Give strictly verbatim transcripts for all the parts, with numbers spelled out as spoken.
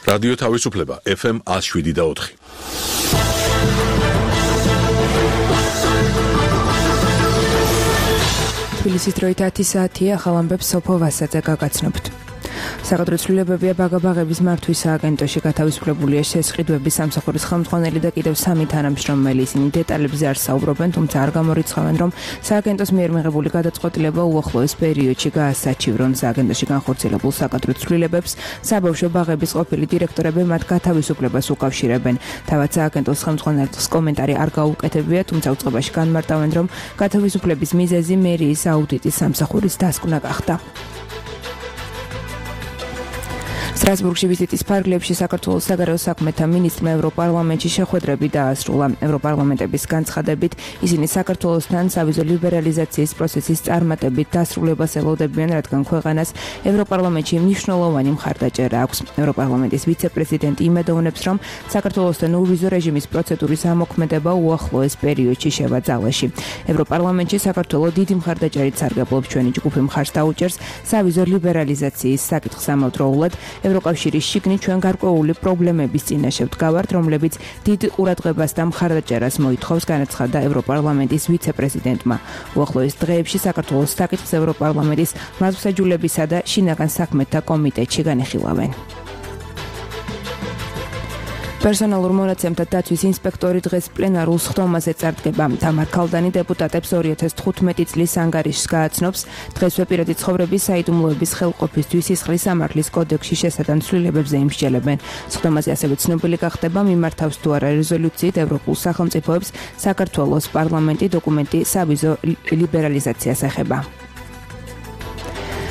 რადიო თავისუფლება ეფ ემ one oh seven და four. თბილისის დროით ათი საათია, ახალ ამბებს სოფო ვასაძე გაგაცნობთ. Საკადრო ცვლილებებია ბაგაბაღების მართვის სააგენტოში გათავისუფლებულია შესყიდვების სამსახურის ხელმძღვანელი და კიდევ სამი თანამშრომელი. Ისინი დეტალებზე არ საუბრობენ, თუმცა არ გამორიცხავენ, რომ სააგენტოს მიერ მიღებული გადაწყვეტილება უახლოეს პერიოდში გაასაჩივრონ. სააგენტოში განხორციელებულ საკადრო ცვლილებებს საბავშვო ბაღების ყოფილი დირექტორები მათ გათავისუფლებას უკავშირებენ. თავად სააგენტოს ხელმძღვანელის კომენტარი არ გაუკეთებია, თუმცა უწყებაში განმარტავენ, რომ გათავისუფლების მიზეზი მერიის აუდიტის სამსახურის დასკვნა გახდა. Strasbourgში ვიზიტის ფარგლებში საქართველოს საგარეო საქმეთა მინისტრმა ევროპარლამენტში შეხვედრები დაასრულა. ევროპარლამენტების განცხადებით, ისინი საქართველოსთან სავიზო ლიბერალიზაციის პროცესის წარმატებით დასრულებას ელოდებიან, რადგან ქვეყანას ევროპარლამენტში მნიშვნელოვანი მხარდაჭერა აქვს. ევროპარლამენტის ვიცე-პრეზიდენტი იმედოვნებს, რომ საქართველოსთან უვიზო რეჟიმის პროცედურის ამოქმედება უახლოეს პერიოდში შევა ძალაში. ევროპარლამენტში საქართველოს დიდი მხარდაჭერით სარგებლობს. ჩვენი ჯგუფი მხარს დაუჭერს სავიზო ლიბერალიზაციის საკითხს ამავდროულად. ევროკავშირის შიგნით ჩვენ გარკვეული პრობლემების წინაშე ვდგავართ, რომლებიც დიდ ყურადღებას და მხარდაჭერას მოითხოვს, განაცხადა ევროპარლამენტის ვიცე-პრეზიდენტმა. უახლოეს დღეებში საქართველოს საკითხს ევროპარლამენტის მართლმსაჯულებისა და შინაგან საქმეთა კომიტეტში განეხილავენ. Პერსონალურ მონაცემთა დაცვის ინსპექტორი დღეს პლენარულ სხდომაზე წარდგება. თამარ ქალდანი დეპუტატებს ორი ათას თხუთმეტი წლის ანგარიშს გააცნობს. დღესვე პირადი ცხოვრების საიდუმლოების ხელყოფისთვის სისხლის სამართლის კოდექსში შესაძლო ცვლილებებზე იმსჯელებენ. სხდომაზე ასევე ცნობილი გახდება მიმართავს თუ არა რეზოლუციით ევროპულ სახელმწიფოებს საქართველოს პარლამენტი დოკუმენტი სავიზო ლიბერალიზაციას ეხება.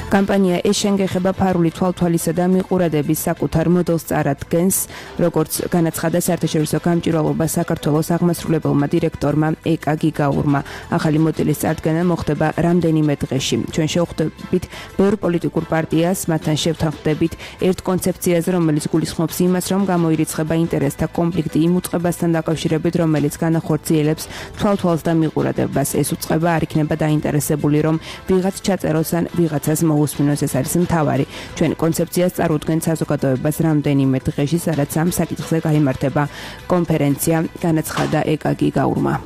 Კამპანია ეშენგ ეხება ფარული თვალთვალისა და მიყურადების საკუთარ მოდელს წარადგენს, როგორც განაცხადა საერთაშორისო გამჭვირვალობა საქართველოს აღმასრულებელმა დირექტორმა ეკა გიგაურმა. ახალი მოდელის წარდგენა მოხდება რამდენიმე დღეში. ჩვენ შევხვდებით ბევრ პოლიტიკურ პარტიას, მათთან შევთანხმდებით ერთ კონცეფციაზე, რომელიც გულისხმობს იმას, რომ გამოირიცხება ინტერესთა კონფლიქტი იმ უწყებასთან დაკავშირებით, რომელიც განახორციელებს თვალთვალს და მიყურადებას. ეს უწყება არ იქნება დაინტერესებული, რომ ვიღაც ჩაწეროს ან ვიღაცას უსმინოს, ეს არის მთავარი. ჩვენ კონცეფციას წარუდგენთ საზოგადოებას რამდენიმე დღეში, სადაც ამ საკითხზე გაიმართება კონფერენცია, განაცხადა ეკა გიგაურმა.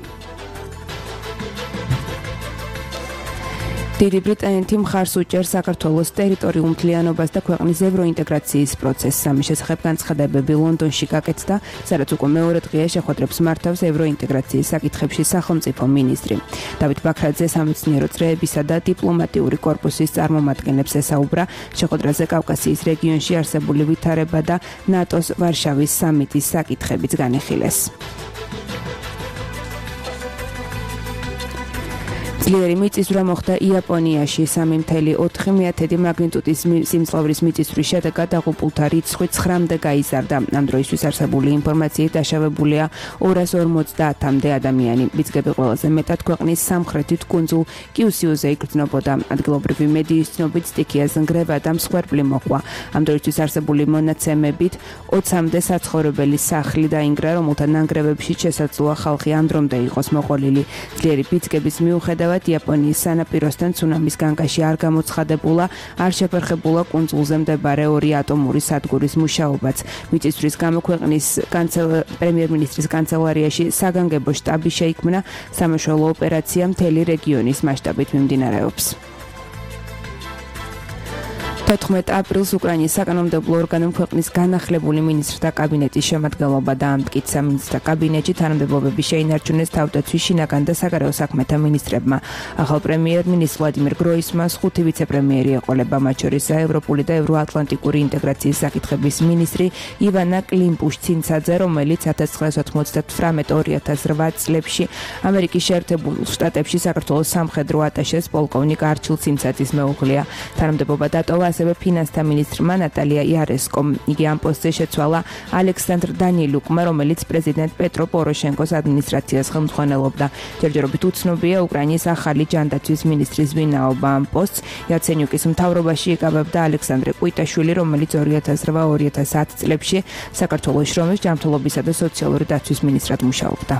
დიდი ბრიტანეთი მხარს უჭერს საქართველოს ტერიტორიულ მთლიანობას და ქვეყნის ევროინტეგრაციის პროცესს. ამის შესახებ განცხადებები ლონდონში გაკეთდა, სადაც უკვე მეორე დღეა შეხვედრებს მართავს ევროინტეგრაციის საკითხებში სახელმწიფო მინისტრი. დავით ბაქრაძე სამეცნიერო წრეებისა და დიპლომატიური კორპუსის წარმომადგენლებს ესაუბრა შეხვედრაზე კავკასიის რეგიონში არსებული ვითარება და ნატოს ვარშავის სამიტის საკითხებიც განეხილეს. ძლიერი მიწისძვრა მოხდა იაპონიაში. სამი ათეული მეათედი მაგნიტუდის სიმძლავრის მიწისძვრის შედეგად დაღუპულთა რიცხვი ცხრამდე გაიზარდა. ამ დროისთვის არსებული ინფორმაციით დაშავებულია ორას ორმოცდაათამდე ადამიანი. ვიწყები ყველაზე მეტად ქვეყნის სამხრეთით კუნძულ კიუსიუზე იგრძნობოდა. ადგილობრივი მედიის ცნობით სტიქიას ნგრევა და მსხვერპლი მოყვა. ამ დროისთვის არსებული მონაცემებით ოცამდე საცხოვრებელი სახლი დაინგრა, რომელთა ნანგრევებში შესაძლოა ხალხი ამდრომდე იყოს მოყოლილი. ძლიერი ბიძგების მიუხედავად იაპონიის სანაპიროსთან ცუნამის განკაში არ გამოცხადებულა, არ შეფერხებულა კუნძულზე მდებარე ორი ატომური სადგურის მუშაობაც. მიწისძვრის გამო ქვეყნის პრემიერ-მინისტრის კანცელარიაში საგანგებო შტაბი შეიქმნა, სამაშველო ოპერაცია მთელი რეგიონის მასშტაბით მიმდინარეობს. თოთხმეტ აპრილს უკრაინის საკანონმდებლო ორგანომ ქვეყნის განახლებული მინისტრთა კაბინეტის შემადგენლობა დაამტკიცა. მინისტრთა კაბინეტში თანამდებობები შეინარჩუნეს თავდაცვის, შინაგან და საგარეო საქმეთა მინისტრებმა. ახალ პრემიერ-მინისტრ ვლადიმერ გროისმანს ხუთი ვიცე-პრემიერი ეყოლება, მათ შორისაა ევროპული და ევროატლანტიკური ინტეგრაციის საკითხების მინისტრი ივანა კლიმპუშ-ცინცაძე, რომელიც ათას ცხრაას ოთხმოცდათვრამეტ ორი ათას რვა წლებში ამერიკის შეერთებულ შტატებში საქართველოს სამხედრო ატაშეს პოლკოვნიკ არჩილ ცინცაძის მეუღლეა. თანამდებობა დატოვა ასევე ფინანსთა მინისტრმა ნატალია იარესკომ. იგი ამ პოსტზე შეცვალა ალექსანდრ დანილუკმა, რომელიც პრეზიდენტ პეტრო პოროშენკოს ადმინისტრაციას ხელმძღვანელობდა. ჯერჯერობით უცნობია უკრაინის ახალი ჯანდაცვის მინისტრის ვინაობა. ამ პოსტს იაცენიუკის მთავრობაში იკავებდა ალექსანდრე კვიტაშვილი, რომელიც ორი ათას რვა ორი ათას ათი წლებში საქართველოს შრომის, ჯანმრთელობისა და სოციალური დაცვის მინისტრად მუშაობდა.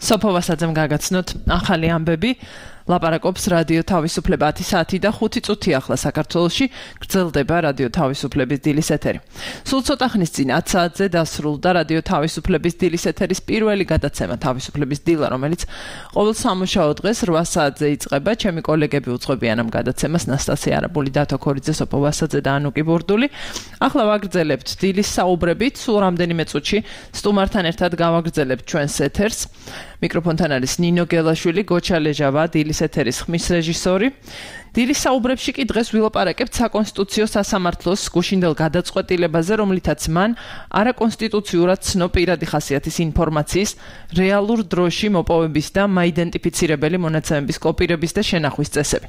სოფო ვასაძემ გაგაცნოთ ახალი ამბები. ლაპარაკობს რადიო თავისუფლება ათი საათი და ხუთი წუთი ახლა საქართველოში გრძელდება რადიო თავისუფლების დილის ეთერი. Სულ ცოტა ხნის წინ ათ საათზე დასრულდა რადიო თავისუფლების დილის ეთერის პირველი გადაცემა თავისუფლების დილა, რომელიც ყოველ სამუშაო დღეს რვა საათზე იწყება. ჩემი კოლეგები უძღვებიან ამ გადაცემას ნასტასია არაბული, დათო ქორიძე, სოფო ვასაძე და ანუკი ბურდული. ახლა ვაგრძელებთ დილის საუბრებით, სულ რამდენიმე წუთში სტუმართან ერთად გავაგრძელებთ ჩვენს ეთერს. მიკროფონთან არის ნინო გელაშვილი, გოჩა ლეჟავა, დილის ეთერის ხმის რეჟისორი. დილის საუბრებში კი დღეს ვილაპარაკებთ საკონსტიტუციო სასამართლოს გუშინდელ გადაწყვეტილებაზე, რომლითაც მან არაკონსტიტუციურად ცნო პირადი ხასიათის ინფორმაციის რეალურ დროში მოპოვების და მაიდენტიფიცირებელი მონაცემების კოპირების და შენახვის წესები.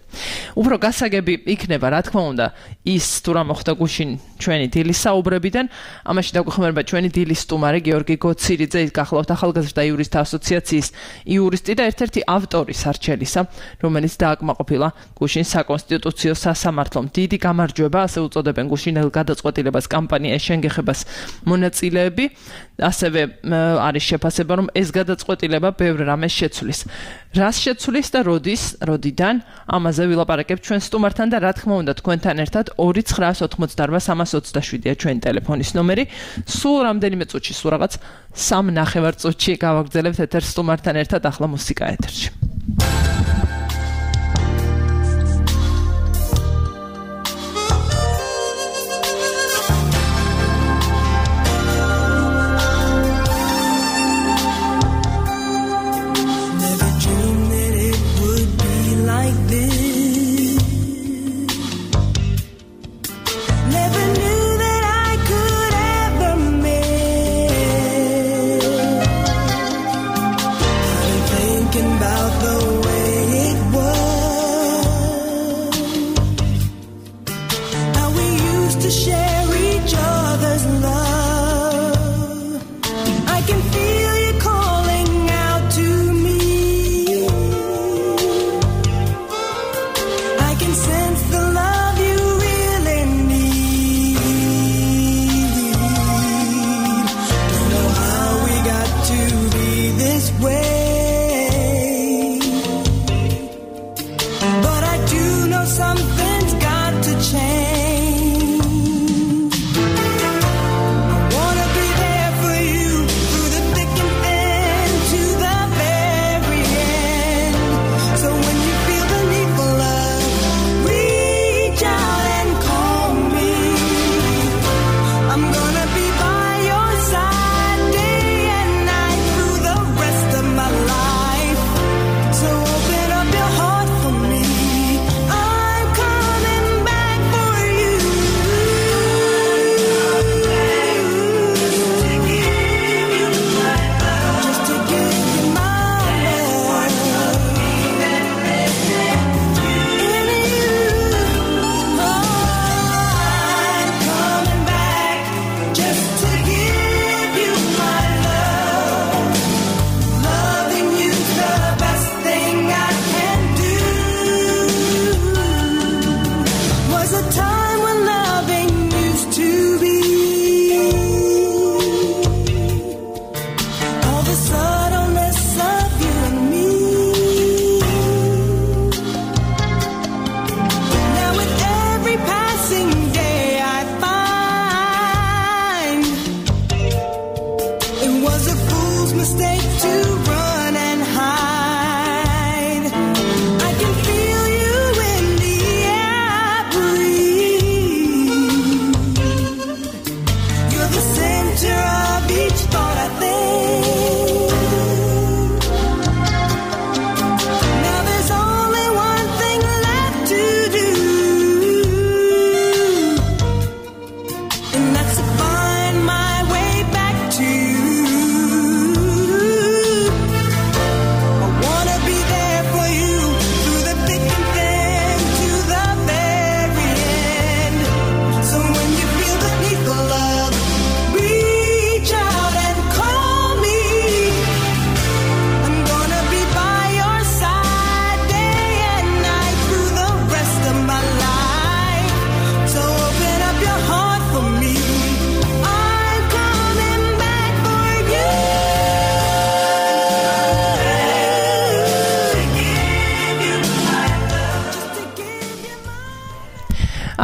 უფრო გასაგები იქნება, რა თქმა უნდა, ის თუ რა მოხდა გუშინ ჩვენი დილის საუბრებიდან, ამაში დაგვეხმარება ჩვენი დილის სტუმარი გიორგი გოცირიძე, ის გახლავთ ახალგაზრდა იურისტთა ასოციაციის იურისტი და ერთ-ერთი ავტორი სარჩელისა, რომელიც დააკმაყოფილა გუშინ საკონსტიტუციო სასამართლომ. დიდი გამარჯვება, ასე უწოდებენ გუშინელ გადაწყვეტილებას კამპანია შენგეხებას მონაწილეები. ასევე არის შეფასება, რომ ეს გადაწყვეტილება ბევრ რამეს შეცვლის. რას შეცვლის და როდის, როდიდან, ამაზე ვილაპარაკებთ ჩვენ სტუმართან და რა თქმა უნდა თქვენთან ერთად ორი ცხრა ოცდაოთხმოცდაარბა სამას ოცდაშვიდია ჩვენი ტელეფონის ნომერი. სულ რამდენიმე წუთში, სულ რაღაც სამ ნახევარ წუთში გავაგრძელებთ ეთერს სტუმართან ერთად, ახლა მუსიკა ეთერში. About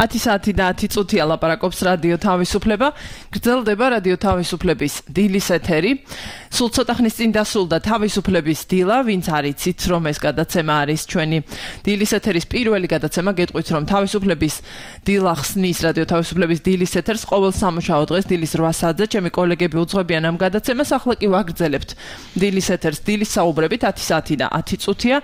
ათი საათი და ათი წუთია ლაპარაკობს რადიო თავისუფლება. გრძელდება რადიო თავისუფლების დილის ეთერი. სულ ცოტა ხნის წინ დასრულდა თავისუფლების დილა, ვინც არიცით, რომ ეს გადაცემა არის ჩვენი დილის ეთერის პირველი გადაცემა. გეტყვით, რომ თავისუფლების დილა ხსნის რადიო თავისუფლების დილის ეთერს ყოველ სამუშაო დღეს დილის რვა საათზე. ჩემი კოლეგები უძღვებიან ამ გადაცემას, ახლა კი ვაგრძელებთ დილის ეთერს დილის საუბრებით ათი საათი და ათი წუთია.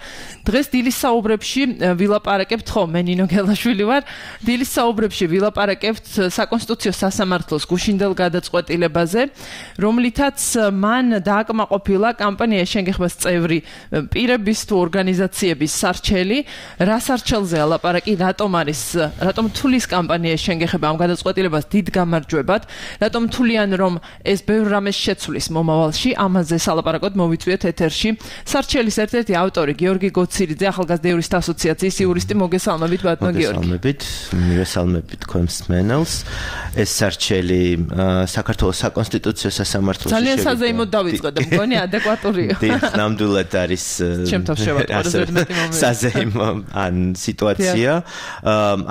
დღეს დილის საუბრებში ვილაპარაკებთ, ხო, მე ნინო გელაშვილი ვარ. დილის საუბრებში ვილაპარაკებთ საკონსტიტუციო სასამართლოს გუშინდელ გადაწყვეტილებაზე, რომლითაც მან დააკმაყოფილა კამპანიის შენგეხებას წევრი პირების თუ ორგანიზაციების სარჩელი. რა სარჩელზეა ლაპარაკი, რატომ არის, რატომ თulis კამპანიის შენგეხება ამ გადაწყვეტილებას დიდ გამარჯვებად, რატომ თulian რომ ეს ბევრ რამეს შეცვლის მომავალში, ამაზე სალაპარაკოდ მოვიწვიეთ ეთერში. სარჩელის ერთ-ერთი ავტორი გიორგი გოცირიძე, ახალგაზრდა იურისტთა ასოციაციის იურისტი, მოგესალმებით ბატონო გიორგი. მოგესალმებით, მივესალმებით თქვენს მსმენელს. ეს სარჩელი საქართველოს საკონსტიტუციო სასამართლოში ძალიან საზეიმოდ დავიწყო და მგონი ადეკვატურია. ნამდვილად არის საზეიმო ან სიტუაცია.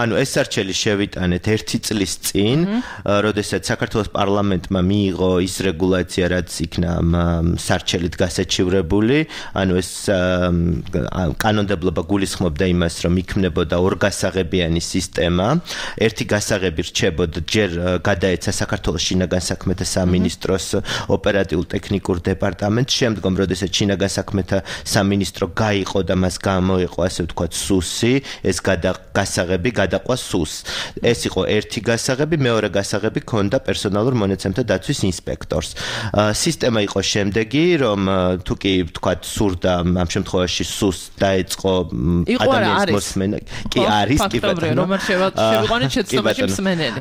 ანუ ეს სარჩელი შევიტანეთ ერთი წლის წინ, როდესაც საქართველოს პარლამენტმა მიიღო ის რეგულაცია, რაც იქნა სარჩელით გასაჩივრებული. ანუ ეს კანონმდებლობა გულისხმობდა იმას, რომ იქმნებოდა ორგასაღებიანი სისტემა. ერთი გასაღები რჩებოდა ჯერ გადაეცა საქართველოს შინაგან საქმეთა სამინისტროს ოპერატიულ-ტექნიკურ დეპარტამენტს, შემდგომ როდესაც შინაგან საქმეთა სამინისტრო გაიყო და მას გამოიყო, ასე ვთქვათ, სუსი, ეს გასაღები გადაყვა სუსს. ეს იყო ერთი გასაღები, მეორე გასაღები ჰქონდა პერსონალურ მონაცემთა დაცვის ინსპექტორს. სისტემა იყო შემდეგი, რომ თუ კი ვთქვათ, სურდა ამ შემთხვევაში სუსს დაეწყო ადამიანის მოსმენა. კი არის, კი ბატონო. რომ შევიყვანეთ შეცდომაში მსმენელი.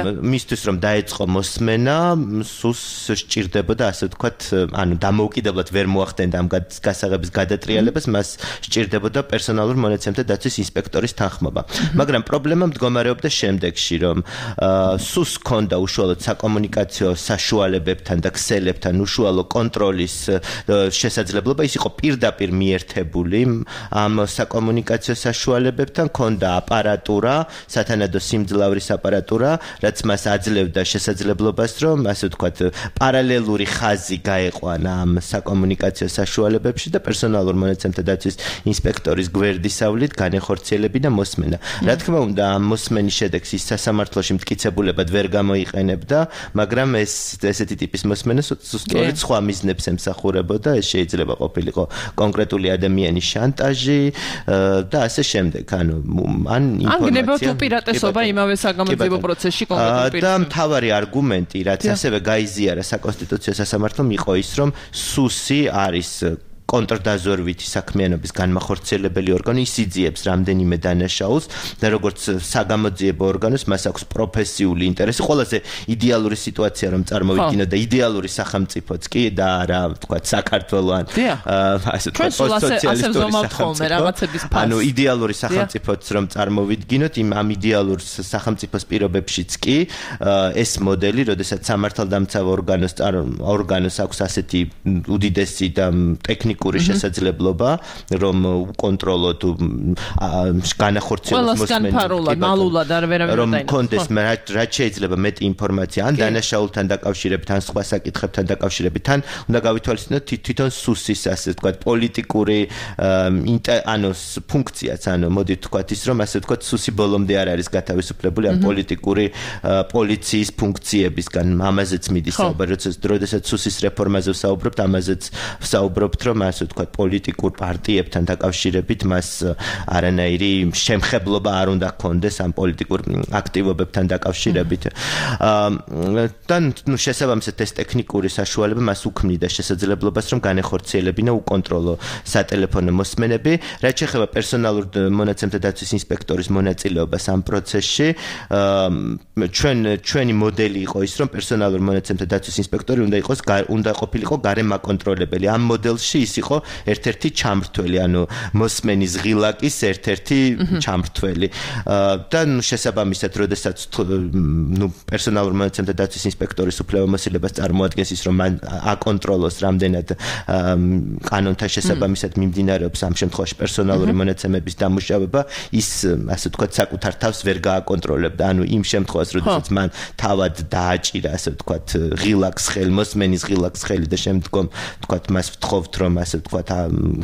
მისთვის რომ დაეწყო მოსმენა, სუსს სჭირდებოდა, ასე ვთქვათ, ანუ დამოუკიდებლად ვერ მოახდენდა ამ გასაღების გადატრიალებას, მას სჭირდებოდა პერსონალურ მონაცემთა დაცვის ინსპექტორის თანხმობა. მაგრამ პრობლემა მდგომარეობდა შემდეგში, რომ სუსს ჰქონდა უშუალოდ საკომუნიკაციო საშუალებებთან და ქსელებთან უშუალო კონტროლის შესაძლებლობა, ის იყო პირდაპირ მიერთებული ამ საკომუნიკაციო საშუალებებთან, ჰქონდა აპარატურა, სათანადო სიმძლავრის აპარატურა, რაც მას აძლევდა შესაძლებლობას, რომ ასე ვთქვათ, პარალელური ხაზი გაეყვანა ამ საკომუნიკაციო საშუალებებში და პერსონალურ მონაცემთა დაცვის ინსპექტორის გვერდისავლით განეხორციელებინა მოსმენა. რა თქმა უნდა, ამ მოსმენის შედეგს ის სასამართლოში მტკიცებულებად ვერ გამოიყენებდა, მაგრამ ეს ესეთი ტიპის მოსმენა სწორედ სხვა მიზნებს ემსახურებოდა, ეს შეიძლება ყოფილიყო კონკრეტული ადამიანის შანტაჟი და ასე შემდეგ. ანუ ან ინფორმაცია ან უპირატესობა იმავე საგამოძიებო პროცესში კონკრეტულ პირს. და მთავარი არგუმენტი, რაც ასევე გაიზიარა საკონსტიტუციო სასამართლომ, იყო ის, რომ სუსი არის კონტრდაზორვითი საქმიანობის განმახორციელებელი ორგანო, ის იძიებს რამდენიმე დანაშაულს და როგორც საგამოძიებო ორგანოს მას აქვს პროფესიული ინტერესი. ყველაზე იდეალური სიტუაცია რომ წარმოვიდგინოთ და იდეალური სახელმწიფოც კი და არა ვთქვათ საქართველო ან ასე ვთქვათ პოსტსოციალისტური სახელმწიფო. ანუ იდეალური სახელმწიფოც რომ წარმოვიდგინოთ, იმ ამ იდეალურ სახელმწიფოს პირობებშიც კი ეს მოდელი, როდესაც სამართალდამცავ ორგანოს ორგანოს აქვს ასეთი უდიდესი და ტექნიკური შესაძლებლობა, რომ უკონტროლოთ განახორციელოს მოსმენას, რომ კონდეს რაც შეიძლება მეტი ინფორმაცია ან დანაშაულთან დაკავშირებით, ან სხვა საკითხებთან დაკავშირებით, ან უნდა გავითვალისწინოთ თვითონ სუსის, ასე ვთქვათ, პოლიტიკური ანუ ფუნქციაც, ანუ მოდით ვთქვათ ის, რომ ასე ვთქვათ, სუსი ბოლომდე არ არის გათავისუფლებული ამ პოლიტიკური პოლიციის ფუნქციებისგან. ამაზეც მიდის საუბარი, როდესაც სუსის რეფორმაზე ვსაუბრობთ, ამაზეც ვსაუბრობთ, რომ ასე ვთქვათ, პოლიტიკურ პარტიებთან დაკავშირებით მას არანაირი შემხებლობა არ უნდა ჰქონდეს ამ პოლიტიკურ აქტივობებთან დაკავშირებით. და ნუ შესაბამისად ეს ტექნიკური საშუალება მას უქმნიდა შესაძლებლობას, რომ განეხორციელებინა უკონტროლო სატელეფონო მოსმენები. რაც შეეხება პერსონალურ მონაცემთა დაცვის ინსპექტორის მონაწილეობას ამ პროცესში, ჩვენ ჩვენი მოდელი იყო ის, რომ პერსონალურ მონაცემთა დაცვის ინსპექტორი უნდა იყოს უნდა ყოფილიყო გარემაკონტროლებელი. ამ მოდელში ის ის იყო ერთ-ერთი ჩამრთველი, ანუ მოსმენის ღილაკის ერთ-ერთი ჩამრთველი. და ნუ შესაბამისად, როდესაც ნუ პერსონალურ მონაცემთა დაცვის ინსპექტორის უფლებამოსილებას წარმოადგენს ის, რომ მან აკონტროლოს რამდენად კანონთან შესაბამისად მიმდინარეობს ამ შემთხვევაში პერსონალური მონაცემების დამუშავება, ის ასე ვთქვათ საკუთარ თავს ვერ გააკონტროლებდა. ანუ იმ შემთხვევას, როდესაც მან თავად დააჭირა, ასე ვთქვათ, ღილაკს ხელი, მოსმენის ღილაკს ხელი და შემდგომ ვთქვათ მას ვთხოვთ, რომ ასე ვთქვათ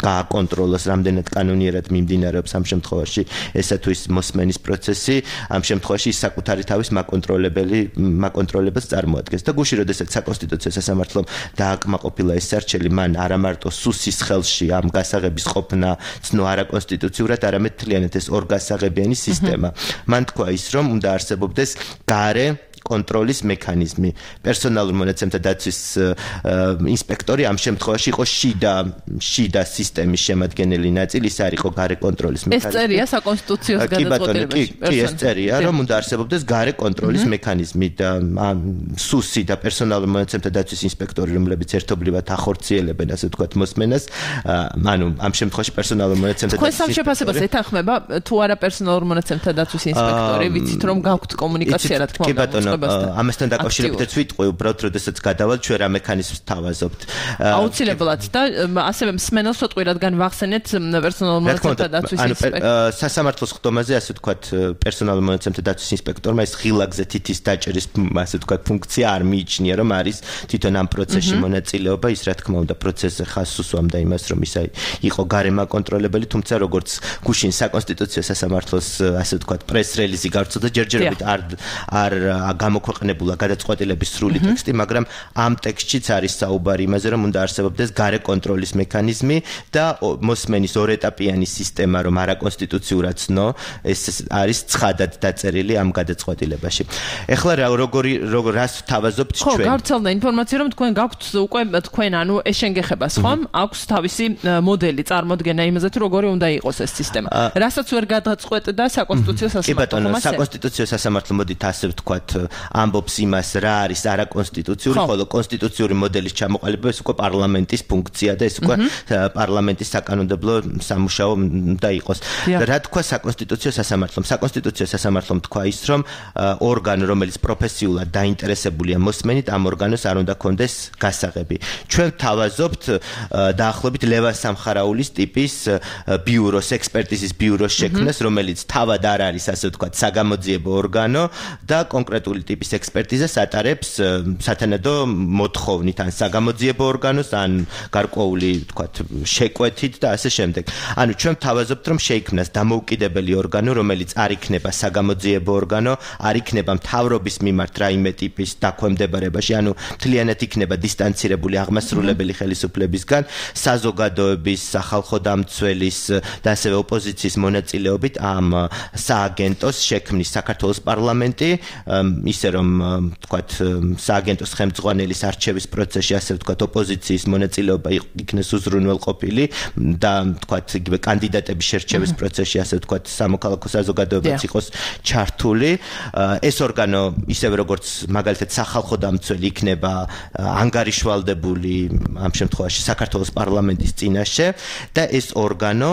გააკონტროლოს რამდენად კანონიერად მიმდინარეობს ამ შემთხვევაში ესა თუ ის მოსმენის პროცესი, ამ შემთხვევაში ის საკუთარი თავის მაკონტროლებელი მაკონტროლებას წარმოადგენს. და გუშინ როდესაც საკონსტიტუციო სასამართლომ დააკმაყოფილა ეს სარჩელი, მან არა მარტო სუსის ხელში ამ გასაღების ყოფნა ცნო არაკონსტიტუციურად, არამედ მთლიანად ეს ორგასაღებიანი სისტემა. მან თქვა ის, რომ უნდა არსებობდეს გარე კონტროლის მექანიზმი. პერსონალურ მონაცემთა დაცვის ინსპექტორი ამ შემთხვევაში იყო შიდა შიდა სისტემის შემადგენელი ნაწილი, ის არ იყო გარე კონტროლის მექანიზმი. ეს წერია საკონსტიტუციოს გადაწყვეტილებაში. კი, ეს წერია, რომ უნდა არსებობდეს გარე კონტროლის მექანიზმი და სუსი და პერსონალურ მონაცემთა დაცვის ინსპექტორი, რომლებიც ერთობლივად ახორციელებენ, ასე ვთქვათ, მოსმენას, ანუ ამ შემთხვევაში პერსონალურ მონაცემთა დაცვის ინსპექტორი. თქვენ სამშაბათს ეთანხმება თუ არა პერსონალურ მონაცემთა დაცვის ინსპექტორი, ვიცით რომ გაქვთ კომუნიკაცია რა თქმა უნდა. ამასთან დაკავშირებით ვიტყვი, უბრალოდ როდესაც გადავალ ჩვენ რა მექანიზმს თავაზობთ. აუცილებლად და ასევე მსმენელს ვიტყვი, რადგან ვახსენეთ პერსონალურ მონაცემთა დაცვის ინსპექტორს. სასამართლოს ხდომაზე, ასე ვთქვათ, პერსონალურ მონაცემთა დაცვის ინსპექტორმა ეს ღილაკზე თითის დაჭერის, ასე ვთქვათ, ფუნქცია არ მიიჩნია, რომ არის თვითონ ამ პროცესში მონაწილეობა, ის რა თქმა უნდა პროცესზე ხაზს უსვამდა იმას, რომ ის იყო გარემო კონტროლებელი, თუმცა როგორც გუშინ საკონსტიტუციო სასამართლოს, ასე ვთქვათ, პრეს-რელიზი გავრცელდა, ჯერჯერობით არ არ გამოქვეყნებულა გადაწყვეტილების სრული ტექსტი, მაგრამ ამ ტექსტშიც არის საუბარი იმაზე, რომ უნდა არსებობდეს გარე კონტროლის მექანიზმი და მოსმენის ორეტაპიანი სისტემა, რომ არაკონსტიტუციურად ცნო, ეს არის ცხადად დაწერილი ამ გადაწყვეტილებაში. ეხლა როგორი როგორ რას ვთავაზობთ ჩვენ? ხო, გავრცელდა ინფორმაცია, რომ თქვენ გაქვთ უკვე თქვენ ანუ ეს შენგეხებას, ხომ? აქვს თავისი მოდელი წარმოდგენა იმაზე, თუ როგორი უნდა იყოს ეს სისტემა. რასაც ვერ გადაწყვეტდა საკონსტიტუციო სასამართლო. კი ბატონო, საკონსტიტუციო სასამართლო მოდით ასე ვთქვათ, ამბობს იმას, რა არის არაკონსტიტუციური, ხოლო კონსტიტუციური მოდელის ჩამოყალიბება ეს უკვე პარლამენტის ფუნქცია და ეს უკვე პარლამენტის საკანონმდებლო სამუშაო უნდა იყოს. რა თქვა საკონსტიტუციო სასამართლომ? საკონსტიტუციო სასამართლომ თქვა ის, რომ ორგანო, რომელიც პროფესიულად დაინტერესებულია მოსმენით, ამ ორგანოს არ უნდა კონდეს გასაღები. ჩვენ თავაზობთ დაახლოებით ლევან სამხარაულის ტიპის ბიუროს, ექსპერტიზის ბიუროს შექმნას, რომელიც თავად არ არის, ასე ვთქვათ, საგამოძიებო ორგანო და კონკრეტული ტიპის ექსპერტიზას ატარებს სათანადო მოთხოვნით ან საგამოძიებო ორგანოს ან გარკვეული, ვთქვათ, შეკვეთით და ასე შემდეგ. ანუ ჩვენ ვთავაზობთ, რომ შეიქმნას დამოუკიდებელი ორგანო, რომელიც არ იქნება საგამოძიებო ორგანო, არ იქნება მთავრობის მიმართ რაიმე ტიპის დაქვემდებარებაში, ანუ მთლიანად იქნება დისტანცირებული აღმასრულებელი ხელისუფლებისგან, საზოგადოების, სახალხო დამცველის და ასევე ოპოზიციის მონაწილეობით ამ სააგენტოს შექმნის საქართველოს პარლამენტი, ისე რომ ვთქვათ, სააგენტოს ხელმძღვანელის არჩევის პროცესში, ასე ვთქვათ, ოპოზიციის მონაწილეობა იქნეს უზრუნველყოფილი და ვთქვათ, იგივე კანდიდატების შერჩევის პროცესში, ასე ვთქვათ, სამოქალაქო საზოგადოებაც იყოს ჩართული. ეს ორგანო, ისევე როგორც მაგალითად სახალხო დამცველი იქნება ანგარიშვალდებული ამ შემთხვევაში საქართველოს პარლამენტის წინაშე და ეს ორგანო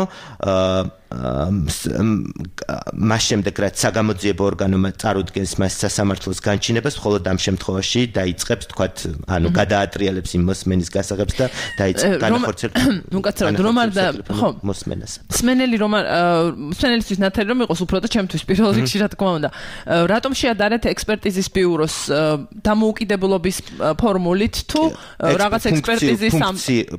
მას შემდეგ რაც საგამოძიებო ორგანომა წარუდგენს მას სასამართლოს განჩინებას, მხოლოდ ამ შემთხვევაში დაიწყებს, თქვათ, ანუ გადაატრიალებს იმ მოსმენის გასაღებს და დაიწყებს განახორციელებს. ნუ კაცრავად, რომ არ და ხო, მოსმენას. მსმენელი რომ მსმენელისთვის ნათელი რომ იყოს უფრო და ჩემთვის პირველ რიგში რა თქმა უნდა. რატომ შეადარეთ ექსპერტიზის ბიუროს დამოუკიდებლობის ფორმულით თუ რაღაც ექსპერტიზის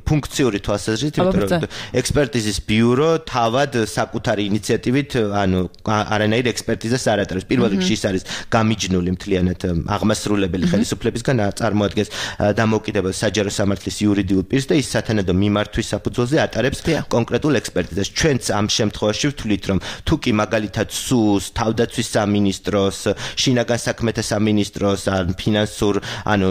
ფუნქციური თვალსაზრისით, იმიტომ რომ ექსპერტიზის ბიურო თავად საკუთარი ინიციატივით, ანუ არანაირ ექსპერტიზას არ ატარებს. პირველ რიგში ის არის გამიჯნული მთლიანად აღმასრულებელი ხელისუფლებისგან, წარმოადგენს დამოუკიდებელ საჯარო სამართლის იურიდიულ პირს და ის სათანადო მიმართვის საფუძველზე ატარებს კონკრეტულ ექსპერტიზას. ჩვენც ამ შემთხვევაში ვთვლით, რომ თუ კი მაგალითად სუს, თავდაცვის სამინისტროს, შინაგან საქმეთა სამინისტროს, ან ფინანსურ, ანუ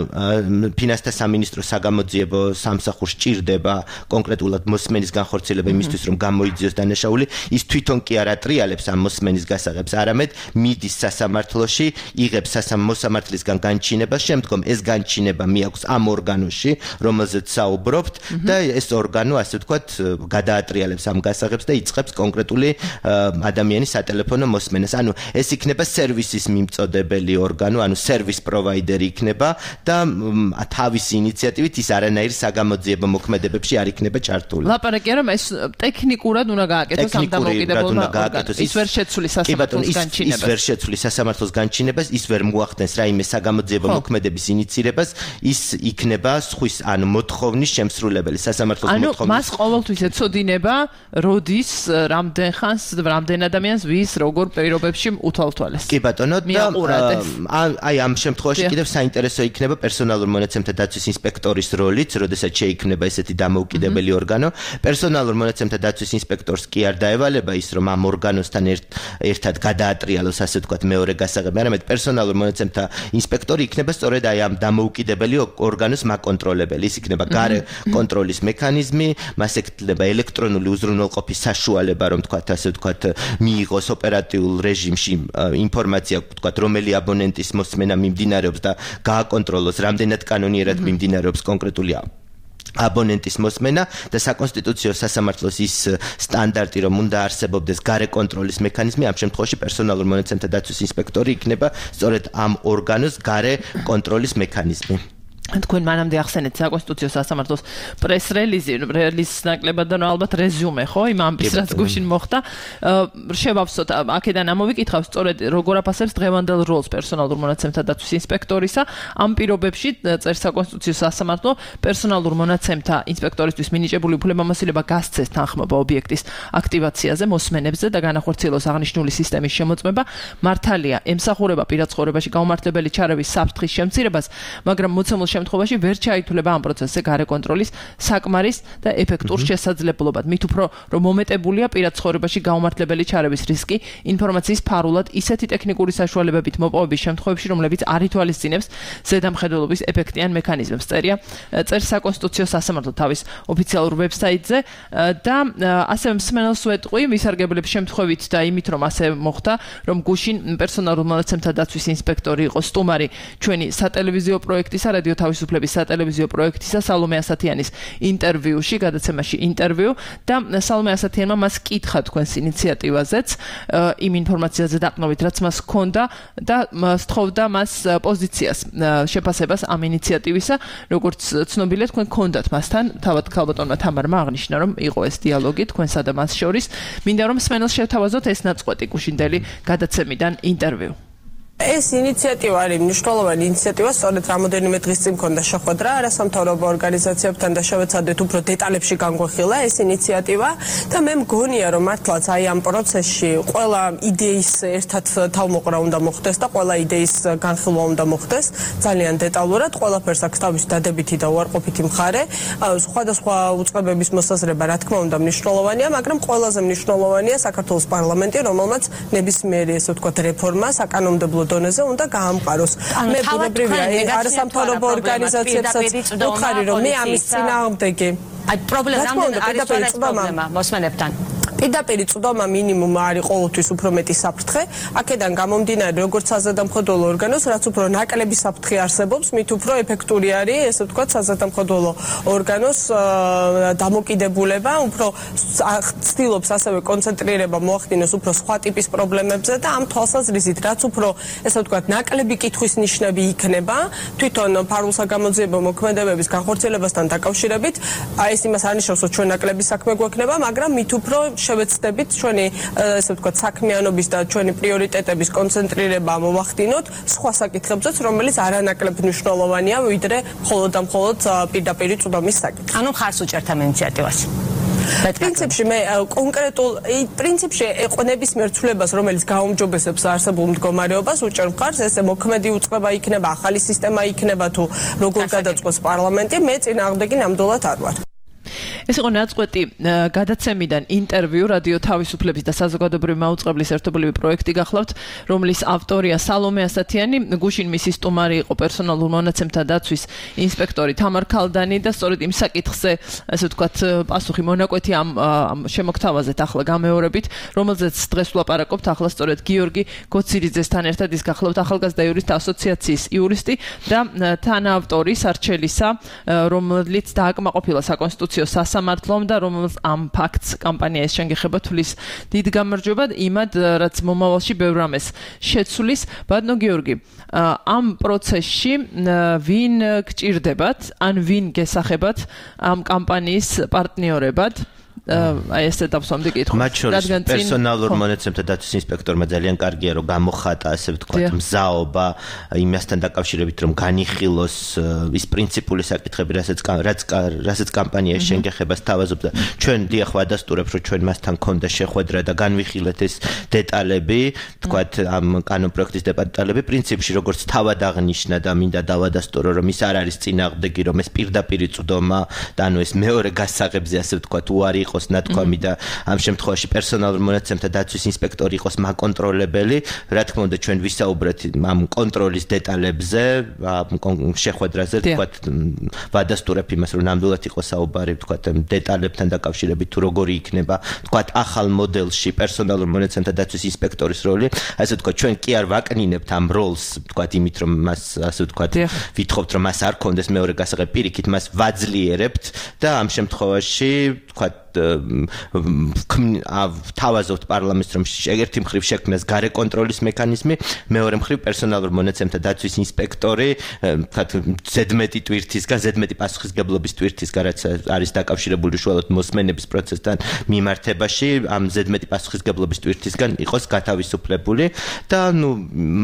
ფინანსთა სამინისტროს საგამოძიებო სამსახურს ჭირდება კონკრეტულად მოსმენის განხორციელება იმისთვის, რომ გამოიძიოს დანაშაული, ის თვითონ კი არ ატრიალებს ამ მოსმენის გასაღებს, არამედ მიდის სასამართლოში, იღებს მოსამართლისგან განჩინებას, შემდგომ ეს განჩინება მიაქვს ამ ორგანოში, რომელზეც საუბრობთ და ეს ორგანო, ასე ვთქვათ, გადაატრიალებს ამ გასაღებს და იწყებს კონკრეტული ადამიანის სატელეფონო მოსმენას. ანუ ეს იქნება სერვისის მიმწოდებელი ორგანო, ანუ სერვის პროვაიდერი იქნება და თავისი ინიციატივით ის არანაირ საგამოძიებო მოქმედებებში არ იქნება ჩართული. ლაპარაკია რომ ეს ტექნიკურად უნდა გააკეთოს ამ დამოუკიდებელ ის ვერ შეცვლის სასამართლოს განჩინებას. ის ვერ შეცვლის სასამართლოს განჩინებას, ის ვერ მოახდენს რაიმე საგამოძიებო მოქმედების ინიცირებას, ის იქნება სხვის ანუ მოთხოვნის შემსრულებელი, სასამართლოს მოთხოვნის. ანუ მას ყოველთვის ეცოდინება, როდის, რამდენ ხანს, რამდენ ადამიანს ვის როგორ პირობებში უთვალთვალეს. კი ბატონო, და აი ამ შემთხვევაში კიდევ საინტერესო იქნება პერსონალურ მონაცემთა დაცვის ინსპექტორის როლიც, როდესაც შეიქმნება ესეთი დამოუკიდებელი ორგანო. პერსონალურ მონაცემთა დაცვის ინსპექტორს კი არ დაევალება ის, რომ ამ ორგანოსთან ერთად გადაატრიალოს, ასე ვთქვათ, მეორე გასაღები, არამედ პერსონალურ მონაცემთა ინსპექტორი იქნება სწორედ აი ამ დამოუკიდებელი ორგანოს მაკონტროლებელი. ის იქნება გარე კონტროლის მექანიზმი, მას ეკუთვნება ელექტრონული უზრუნველყოფის საშუალება, რომ ვთქვათ, ასე ვთქვათ, მიიღოს ოპერატიულ რეჟიმში ინფორმაცია, ვთქვათ, რომელი აბონენტის მოსმენა მიმდინარეობს და გააკონტროლოს, რამდენად კანონიერად მიმდინარეობს კონკრეტული აბონენტის მოსმენა და საკონსტიტუციო სასამართლოს ის სტანდარტი, რომ უნდა არსებობდეს გარე კონტროლის მექანიზმი, ამ შემთხვევაში პერსონალურ მონაცემთა დაცვის ინსპექტორი იქნება სწორედ ამ ორგანოს გარე კონტროლის მექანიზმი. თქვენ მანამდე ახსენეთ საკონსტიტუციო სასამართლოს პრეს-რელიზი, რელიზის ნაკლებად და ალბათ რეზიუმე, ხო, იმ ამბის რაც გუშინ მოხდა. შევავსოთ, აქედან ამოვიკითხავ სწორედ როგორ აფასებს დღევანდელ როლს პერსონალურ მონაცემთა დაცვის ინსპექტორისა. ამ პირობებში წერს საკონსტიტუციო სასამართლო პერსონალურ მონაცემთა ინსპექტორისთვის მინიჭებული უფლებამოსილება გასცეს თანხმობა ობიექტის აქტივაციაზე, მოსმენებზე და განახორციელოს აღნიშნული სისტემის შემოწმება. მართალია, ემსახურება პირად ცხოვრებაში გაუმართლებელი ჩარევის საფრთხის შემცირებას, მაგრამ მოცემულ შემთხვევაში ვერ ჩაითვლება ამ პროცესზე გარე კონტროლის საკმარის და ეფექტურ შესაძლებლობად. მით უფრო რომ მომეტებულია პირად ცხოვრებაში გაუმართლებელი ჩარევის რისკი, ინფორმაციის ფარულად ისეთი ტექნიკური საშუალებებით მოპოვების შემთხვევებში, რომლებიც არ ითვალისწინებს ზედამხედველობის ეფექტიან მექანიზმებს. წერია წერს საკონსტიტუციო სასამართლო თავის ოფიციალურ ვებსაიტზე და ასევე მსმენელს ვეტყვი ვისარგებლების შემთხვევით და იმით რომ ასე მოხდა, რომ გუშინ პერსონალურ მონაცემთა დაცვის ინსპექტორი იყო სტუმარი ჩვენი სატელევიზიო პროექტისა, რადიო თავისუფლების სატელევიზიო პროექტისა სალომე ასათიანის ინტერვიუში, გადაცემაში ინტერვიუ და სალომე ასათიანმა მას კითხა თქვენს ინიციატივაზეც იმ ინფორმაციაზე დაყნობით, რაც მას ჰქონდა და სთხოვდა მას პოზიციას, შეფასებას ამ ინიციატივისა, როგორც ცნობილია თქვენ ჰქონდათ მასთან, თავად ქალბატონმა თამარმა აღნიშნა, რომ იყო ეს დიალოგი თქვენსა და მას შორის. მინდა რომ მსმენელს შევთავაზოთ ეს ნაწყვეტი გუშინდელი გადაცემიდან ინტერვიუ. ეს ინიციატივა არის მნიშვნელოვანი ინიციატივა, სწორედ რამოდენიმე დღის წინ მქონდა შეხვედრა არასამთავრობო ორგანიზაციებთან და შევეცადეთ უფრო დეტალებში განგვეხილა ეს ინიციატივა და მე მგონია, რომ მართლაც აი ამ პროცესში ყველა იდეის ერთად თავმოყრა უნდა მოხდეს და ყველა იდეის განხილვა უნდა მოხდეს ძალიან დეტალურად, ყველაფერს აქვს თავისი დადებითი და უარყოფითი მხარე. სხვადასხვა უწყებების მოსაზრება რა თქმა უნდა მნიშვნელოვანია, მაგრამ ყველაზე მნიშვნელოვანია საქართველოს პარლამენტი, რომელმაც ნებისმიერი ესე ვთქვათ რეფორმა საკანონმდებლო დონეზე უნდა გაამყაროს. მე ბუნებრივია არასამთავრობო ორგანიზაციებსაც ვუხარი, რომ მე ამის წინააღმდეგი. აი პრობლემა რამდენი არის ეს პრობლემა მოსმენებთან? პირდაპირ წვდომა მინიმუმ არის ყოველთვის უფრო მეტი საფრთხე. აქედან გამომდინარე, როგორც საზედამხედველო ორგანოს, რაც უფრო ნაკლები საფრთხე არსებობს, მით უფრო ეფექტური არის, ესე ვთქვათ, საზედამხედველო ორგანოს დამოკიდებულება, უფრო ცდილობს ასევე კონცენტრირება მოახდინოს უფრო სხვა ტიპის პრობლემებზე და ამ თვალსაზრისით, რაც უფრო, ესე ვთქვათ, ნაკლები კითხვის ნიშნები იქნება, თვითონ ფარულ საგამოძიებო მოქმედებების განხორციელებასთან დაკავშირებით, ეს იმას არ ნიშნავს, რომ ჩვენ ნაკლები საქმე გვექნება, მაგრამ მით უფრო შევეცდებით ჩვენი ესე ვთქვათ საქმიანობის და ჩვენი პრიორიტეტების კონცენტრირება მოვახდინოთ სხვა საკითხებზეც, რომელიც არანაკლებ მნიშვნელოვანია, ვიდრე მხოლოდ და მხოლოდ პირდაპირ წვდომის საკითხი. ანუ ხარს უჭერთ ამ ინიციატივას. პრინციპში მე კონკრეტულ პრინციპში ეყონებისმიერ ცვლილებას, რომელიც გაუმჯობესებს არსებულ მდგომარეობას, უჭერ მხარს, ესე მოქმედი უწყება იქნება, ახალი სისტემა იქნება თუ როგორ გადაწყვეტს პარლამენტი, მე წინააღმდეგი ნამდვილად არ ვარ. ეს იყო ნაწყვეტი გადაცემიდან ინტერვიუ რადიო თავისუფლების და საზოგადოებრივი მაუწყებლის ერთობლივი პროექტი გახლავთ, რომლის ავტორია სალომე ასათიანი, გუშინ მისი სტუმარი იყო პერსონალურ მონაცემთა დაცვის ინსპექტორი თამარ ქალდანი და სწორედ იმ საკითხზე, ასე ვთქვათ, პასუხი მონაკვეთი ამ შემოგთავაზეთ ახლა გამეორებით, რომელზეც დღეს ვლაპარაკობთ ახლა სწორედ გიორგი გოცირიძესთან ერთად, ის გახლავთ ახალგაზრდა იურისტთა ასოციაციის იურისტი და თანაავტორი სარჩელისა, რომელიც დააკმაყოფილა საკონსტიტუციო სასამართლომ და რომელიც ამ ფაქტს კამპანიის შენგეხება თulis დიდ გამარჯვებად იმად, რაც მომავალში ბევრ რამეს შეცვლის. ბატონო გიორგი, ამ პროცესში ვინ გჭირდებათ, ან ვინ გესახებათ ამ კამპანიის პარტნიორებად? აი ესე დავსვამდი კითხვა. მათ შორის პერსონალურ მონაცემთა დაცვის ინსპექტორმა ძალიან კარგია რომ გამოხატა, ასე ვთქვათ, მზაობა იმასთან დაკავშირებით, რომ განიხილოს ის პრინციპული საკითხები, რასაც რასაც კამპანიის შენგეხებას თავაზობს და ჩვენ დიახ ვადასტურებთ, რომ ჩვენ მასთან ქონდა შეხვედრა და განვიხილეთ ეს დეტალები, ვთქვათ, ამ კანონპროექტის დეტალები, პრინციპში როგორც თავად აღნიშნა და მინდა დავადასტურო, რომ ის არ არის წინააღმდეგი, რომ ეს პირდაპირი წვდომა და ანუ ეს მეორე გასაღებზე, ასე ვთქვათ, უარი იყოს ნათქვამი და ამ შემთხვევაში პერსონალურ მონაცემთა დაცვის ინსპექტორი იყოს მაკონტროლებელი. რა თქმა უნდა, ჩვენ ვისაუბრეთ ამ კონტროლის დეტალებზე, ამ შეხვედრაზე, ვთქვათ, ვადასტურებ იმას, რომ ნამდვილად იყოს საუბარი, ვთქვათ, დეტალებთან დაკავშირებით, თუ როგორი იქნება, ვთქვათ, ახალ მოდელში პერსონალურ მონაცემთა დაცვის ინსპექტორის როლი. ასე ვთქვათ, ჩვენ კი არ ვაკნინებთ ამ როლს, ვთქვათ, იმით, რომ მას, ასე ვთქვათ, ვითხოვთ, რომ მას არ ქონდეს მეორე გასაღები, პირიქით მას ვაძლიერებთ და ამ შემთხვევაში, ვთქვათ, თავაზობთ პარლამენტს, რომ ერთი მხრივ შექმნას გარე კონტროლის მექანიზმი, მეორე მხრივ პერსონალურ მონაცემთა დაცვის ინსპექტორი, ვთქვათ, ზედმეტი ტვირთისგან, ზედმეტი პასუხისგებლობის ტვირთისგან, რაც არის დაკავშირებული უშუალოდ მოსმენების პროცესთან მიმართებაში, ამ ზედმეტი პასუხისგებლობის ტვირთისგან იყოს გათავისუფლებული და ნუ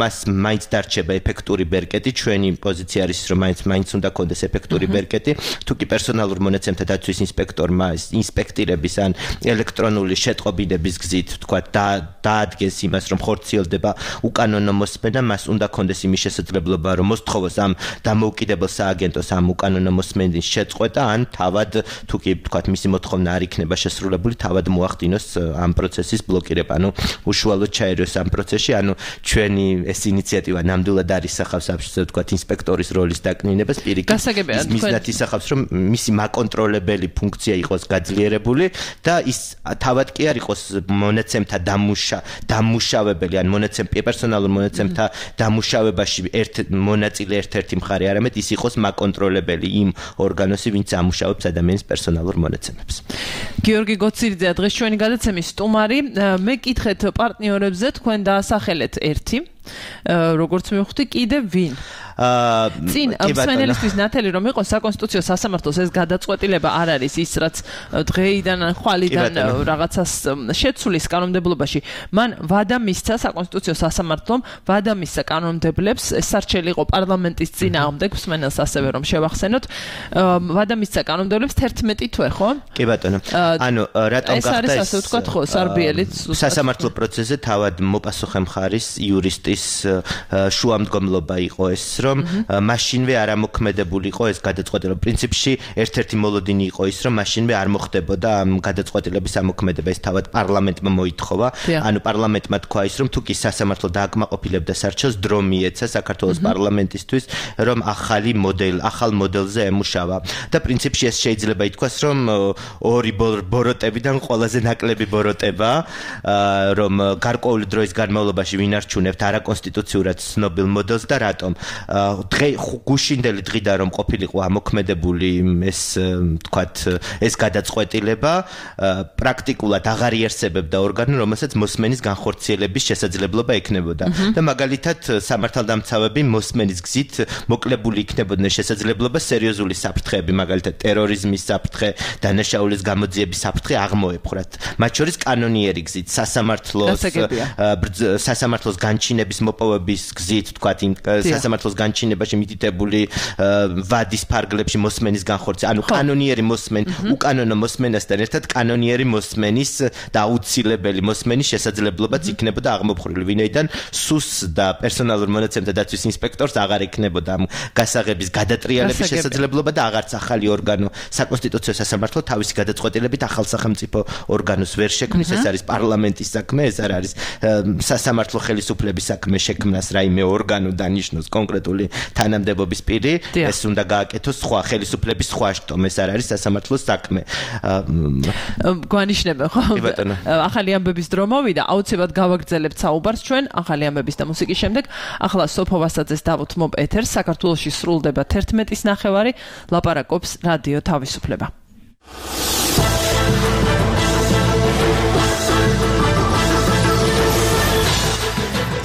მას მაინც დარჩება ეფექტური ბერკეტი, ჩვენი პოზიცია არის, რომ მაინც მაინც უნდა ქონდეს ეფექტური ბერკეტი, თუ კი პერსონალურ მონაცემთა დაცვის ინსპექტორმა ინსპექტი ან ელექტრონული შეტყობინების გზით, ვთქვათ, დაადგეს იმას, რომ ხორციელდება უკანონო მოსმენა, მას უნდა ქონდეს იმის შესაძლებლობა, რომ მოსთხოვოს ამ დამოუკიდებელ სააგენტოს ამ უკანონო მოსმენის შეწყვეტა, ან თავად, თუ კი, ვთქვათ, მისი მოთხოვნა არ იქნება შესრულებული, თავად მოახდინოს ამ პროცესის ბლოკირება, ანუ უშუალოდ ჩაერიოს ამ პროცესში, ანუ ჩვენი ეს ინიციატივა ნამდვილად არ ისახავს, ასე ვთქვათ, ინსპექტორის როლის დაკნინებას, პირიქით, ის მიზნად ისახავს, რომ მისი მაკონტროლებელი ფუნქცია იყოს გაძლიერებული და ის თავად კი არ იყოს მონაცემთა დამუშა დამუშავებელი ან მონაცემ პერსონალურ მონაცემთა დამუშავებაში ერთ მონაწილე ერთ-ერთი მხარე, არამედ ის იყოს მაკონტროლებელი იმ ორგანოსი, ვინც ამუშავებს ადამიანის პერსონალურ მონაცემებს. გიორგი გოცირიძე, დღეს ჩვენი გადაცემის სტუმარი. მე კითხეთ პარტნიორებზე, თქვენ დაასახელეთ ერთი, როგორც მივხვდი, კიდე ვინ? წინ მსმენელისთვის ნათელი რომ იყო საკონსტიტუციო სასამართლოს ეს გადაწყვეტილება არ არის ის, რაც დღეიდან ან ხვალიდან რაღაცას შეცვლის კანონმდებლობაში. მან ვადა მისცა საკონსტიტუციო სასამართლომ, ვადა მისცა კანონმდებლებს, ეს სარჩელი იყო პარლამენტის წინააღმდეგ, მსმენელს ასევე რომ შევახსენოთ, ვადა მისცა კანონმდებლებს თერთმეტი თვე, ხო? კი ბატონო. ანუ რატომ გახდა ეს? ეს არის ასე ვთქვათ, ხო, სარბიელით სასამართლო პროცესზე თავად მოპასუხე მხარის იურისტის შუამდგომლობა იყო ეს, რომ მაშინვე არ ამოქმედებული იყო ეს გადაწყვეტილება. პრინციპში ერთ-ერთი მოლოდინი იყო ის, რომ მაშინვე არ მოხდებოდა ამ გადაწყვეტილების ამოქმედება, ეს თავად პარლამენტმა მოითხოვა. ანუ პარლამენტმა თქვა ის, რომ თუ კი სასამართლო დააკმაყოფილებდა სარჩელს, დრო მიეცა საქართველოს პარლამენტისთვის, რომ ახალი მოდელ, ახალ მოდელზე ემუშავა. და პრინციპში ეს შეიძლება ითქვას, რომ ორი ბოროტებიდან ყველაზე ნაკლები ბოროტება, რომ გარკვეული დროის განმავლობაში ვინარჩუნებთ არაკონსტიტუციურად ცნობილ მოდელს და რატომ? დღე გუშინდელი დღიდან რომ ყოფილიყო ამოქმედებული ეს, ვთქვათ, ეს გადაწყვეტილება, პრაქტიკულად აღარ იარსებებდა ორგანო, რომელსაც მოსმენის განხორციელების შესაძლებლობა ექნებოდა. და მაგალითად სამართალდამცავები მოსმენის გზით მოკლებული იქნებოდნენ შესაძლებლობა სერიოზული საფრთხეები, მაგალითად ტერორიზმის საფრთხე, დანაშაულის გამოძიების საფრთხე აღმოეპყრათ. მათ შორის კანონიერი გზით, სასამართლოს სასამართლოს განჩინების ხელისუფლების მოპოვების გზით თქვათ სასამართლოს განჩინებაში მითითებული ვადის ფარგლებში მოსმენის განხორციელება ანუ კანონიერი მოსმენ უკანონო მოსმენასთან ერთად კანონიერი მოსმენის და აუცილებელი მოსმენის შესაძლებლობაც იქნებოდა აღმოფხვრილი ვინაიდან სუს და პერსონალურ მონაცემთა დაცვის ინსპექტორს აღარ იქნებოდა ამ გასაღების გადატრიალების შესაძლებლობა და აღარც ახალი ორგანო საკონსტიტუციო სასამართლო თავისი გადაწყვეტილებით ახალ სახელმწიფო ორგანოს ვერ შექმნის ეს არის პარლამენტის საქმე ეს არ არის სასამართლო ხელისუფლების საქმე შექმნას რაიმე ორგანო დანიშნოს კონკრეტული თანამდებობის პირი ეს უნდა გააკეთოს სხვა ხელისუფლების სხვა შტომ ეს არ არის სასამართლოს საქმე გვანიშნებენ ხო ახალი ამბების დრო მოვიდა აუცილებლად გავაგრძელებთ საუბარს ჩვენ ახალი ამბების და მუსიკის შემდეგ ახლა სოფო ვასაძეს დავუთმობ ეთერს საქართველოში სრულდება თერთმეტის ნახევარი ლაპარაკობს რადიო თავისუფლება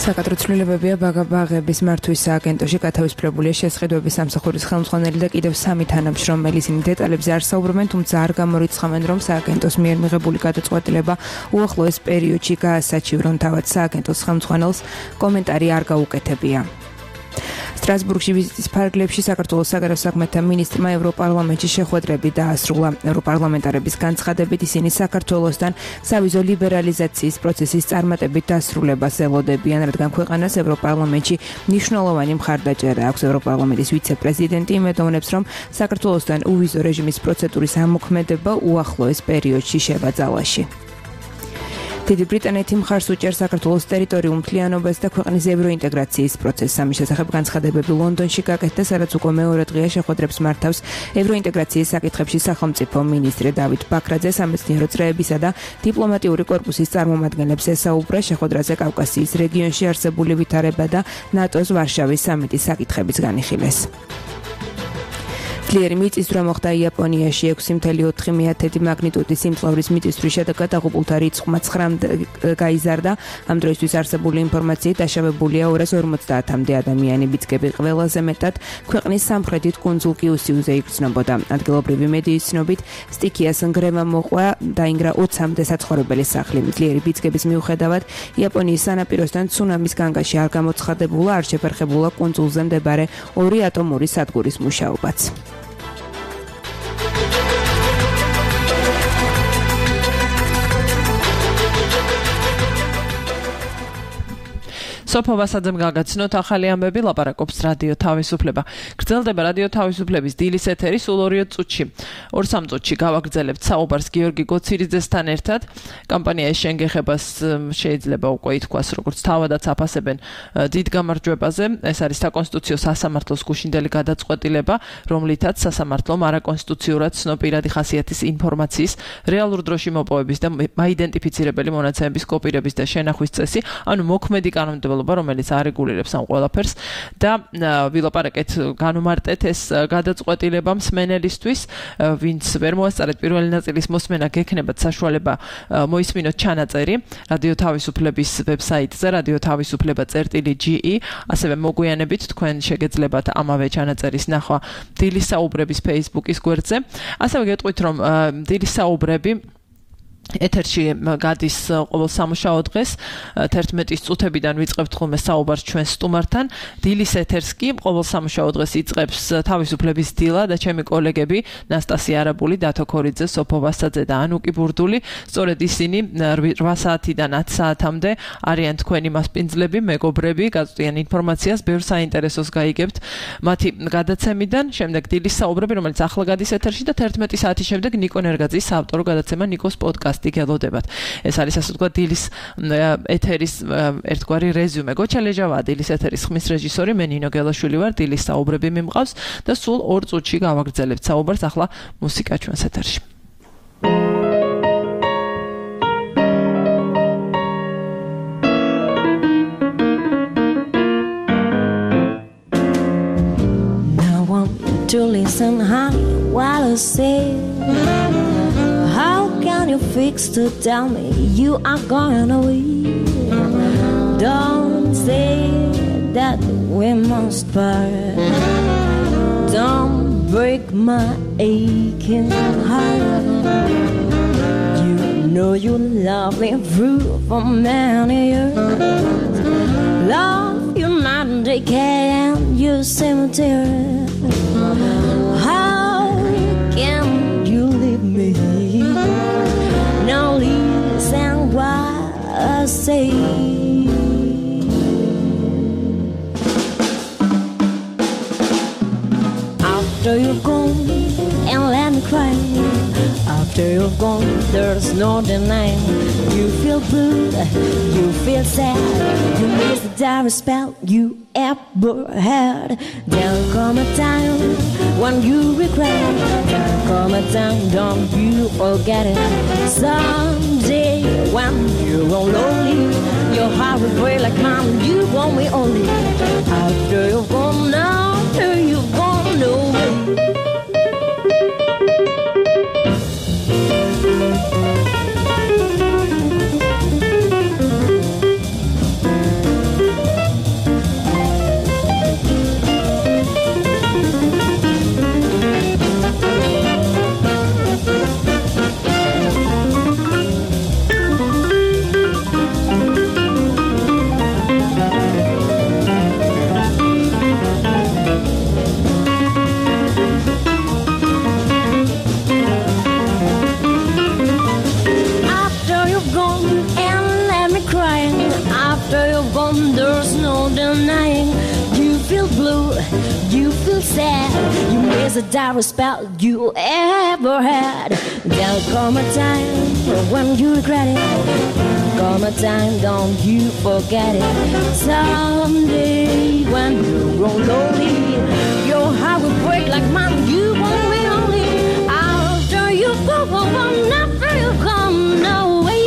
საკადრო ცვლილებებია ბაღების მართვის სააგენტოში გათავისუფლებულია შესყიდვების სამსახურის ხელმძღვანელი და კიდევ სამი თანამშრომელი ისინი დეტალებზე არ საუბრობენ თუმცა არ გამორიცხავენ რომ სააგენტოს მიერ მიღებული გადაწყვეტილება უახლოეს პერიოდში გაასაჩივრონ თავად სააგენტოს ხელმძღვანელს კომენტარი არ გაუკეთებია სტრასბურგში ვიზიტის ფარგლებში საქართველოს საგარეო საქმეთა მინისტრმა ევროპარლამენტში შეხვედრები დაასრულა. ევროპარლამენტარების განცხადებით ისინი საქართველოსთან სავიზო ლიბერალიზაციის პროცესის წარმატებით დასრულებას ელოდებიან, რადგან ქვეყანას ევროპარლამენტში მნიშვნელოვანი მხარდაჭერა აქვს. ევროპარლამენტის ვიცე-პრეზიდენტი იმედოვნებს, რომ საქართველოსთან უვიზო რეჟიმის პროცედურის ამოქმედება უახლოეს პერიოდში შევაძალაში. დიდი ბრიტანეთი მხარს უჭერს საქართველოს ტერიტორიულ მთლიანობას და ქვეყნის ევროინტეგრაციის პროცესს. ამის შესახებ განცხადებები ლონდონში გაკეთდა, სადაც უკვე მეორე დღეა შეხვედრებს მართავს ევროინტეგრაციის საკითხებში სახელმწიფო მინისტრი დავით ბაქრაძე, სამეცნიერო წრეებისა და დიპლომატიური კორპუსის წარმომადგენლებს ესაუბრა შეხვედრაზე კავკასიის რეგიონში არსებული ვითარება და ნატოს ვარშავის სამიტის საკითხებიც განიხილეს. ძლიერი მიწისძვრა მოხდა იაპონიაში ექვსი კoma ოთხ მაგნიტუდის სიმძლავრის მიწისძვრის შედეგად დაღუპულთა რიცხვმა ცხრამდე გაიზარდა. ამ დროისთვის არსებული ინფორმაციით დაშავებულია ორას ორმოცდაათამდე ადამიანი. ბიძგები ყველაზე მეტად ქვეყნის სამხრეთით კუნძულ კიუსიუზე იგრძნობოდა. ადგილობრივი მედიის ცნობით სტიქიას ნგრევა მოყვა, დაინგრა ოცამდე საცხოვრებელი სახლი. ძლიერი ბიძგების მიუხედავად იაპონიის სანაპიროსთან ცუნამის განგაში არ გამოცხადებულა, არ შეფერხებულა კუნძულზე მდებარე ორი ატომური სადგურის მუშაობაც. სოფო ვასაძემ გაგაცნოთ ახალი ამბები ლაპარაკობს რადიო თავისუფლება. გრძელდება რადიო თავისუფლების დილის ეთერი სულ ორი წუთში. ორ სამ წუთში გავაგრძელებთ საუბარს გიორგი გოცირიძესთან ერთად. კამპანიის შენგეხებას შეიძლება უკვე ითქვას, როგორც თავადაც აფასებენ დიდ გამარჯვებაზე. ეს არის საკონსტიტუციო სასამართლოს გუშინდელი გადაწყვეტილება, რომლითაც სასამართლომ არაკონსტიტუციურად ცნობილადი ხასიათის ინფორმაციის რეალურ დროში მოპოვების და მაიდენტიფიცირებელი მონაცემების კოპირების და შენახვის წესი, ანუ მოქმედი კანონმდებლობა რომელიც არეგულირებს ამ ყველაფერს და ვილაპარაკეთ განუმარტეთ ეს გადაწყვეტილება მსმენელისთვის, ვინც ვერ მოასწარეთ პირველი ნაწილის მოსმენა გექნებათ საშუალება მოისმინოთ ჩანაწერი რადიო თავისუფლების ვებსაიტზე რადიო თავისუფლება წერტილი ჯი ი, ასევე მოგვიანებით თქვენ შეგეძლებათ ამავე ჩანაწერის ნახვა დილის საუბრების Facebook-ის გვერდზე. ასევე გეტყვით რომ დილის საუბრები ეთერში გადის ყოველ სამუშაო დღეს თერთმეტის წუთებიდან ვიწყებთ ხოლმე საუბარს ჩვენ სტუმართან. დილის ეთერს კი ყოველ სამუშაო დღეს იწყებს თავისუფლების დილა და ჩემი კოლეგები ნასტასია არაბული, დათო ქორიძე, სოფო ვასაძე და ანუკი ბურდული. სწორედ ისინი რვა საათიდან ათ საათამდე არიან თქვენი მასპინძლები, მეგობრები, გაწვდიან ინფორმაციას, ბევრ საინტერესოს გაიგებთ მათი გადაცემიდან. შემდეგ დილის საუბრები, რომელიც ახლა გადის ეთერში და თერთმეტი საათის შემდეგ ნიკო ნერგაძის საავტორო გადაცემა ნიკოს პოდკასტი გელოდებათ. ეს არის ასე ვთქვათ დილის ეთერის ერთგვარი რეზიუმე. გოჩა ლეჟავაა დილის ეთერის ხმის რეჟისორი, მე ნინო გელაშვილი ვარ, დილის საუბრები მიმყავს და სულ ორ წუთში გავაგრძელებთ საუბარს. ახლა მუსიკა ჩვენს ეთერში. Now I want to listen, honey, what I say. How can you fix to tell me you are going away? Don't say that we must part. Don't break my aching heart. You know you love me through for many years. love you night and day, can you cemetery? How can you leave me? Now listen what I say. After you're gone and let me cry. After you're gone, there's no denying. You feel blue, you feel sad. You miss the direst spell you ever had. There'll come a time when you regret. There'll come a time, don't you forget it. Someday when you're all lonely, your heart will break like mine. You want me only. After you're gone, after you're gone away. Sad. You miss a direst spell you ever had. There'll come a time when you regret it. There'll come a time, don't you forget it. Someday when you grow lonely, your heart will break like mine. You won't be only. After you go, after you come away.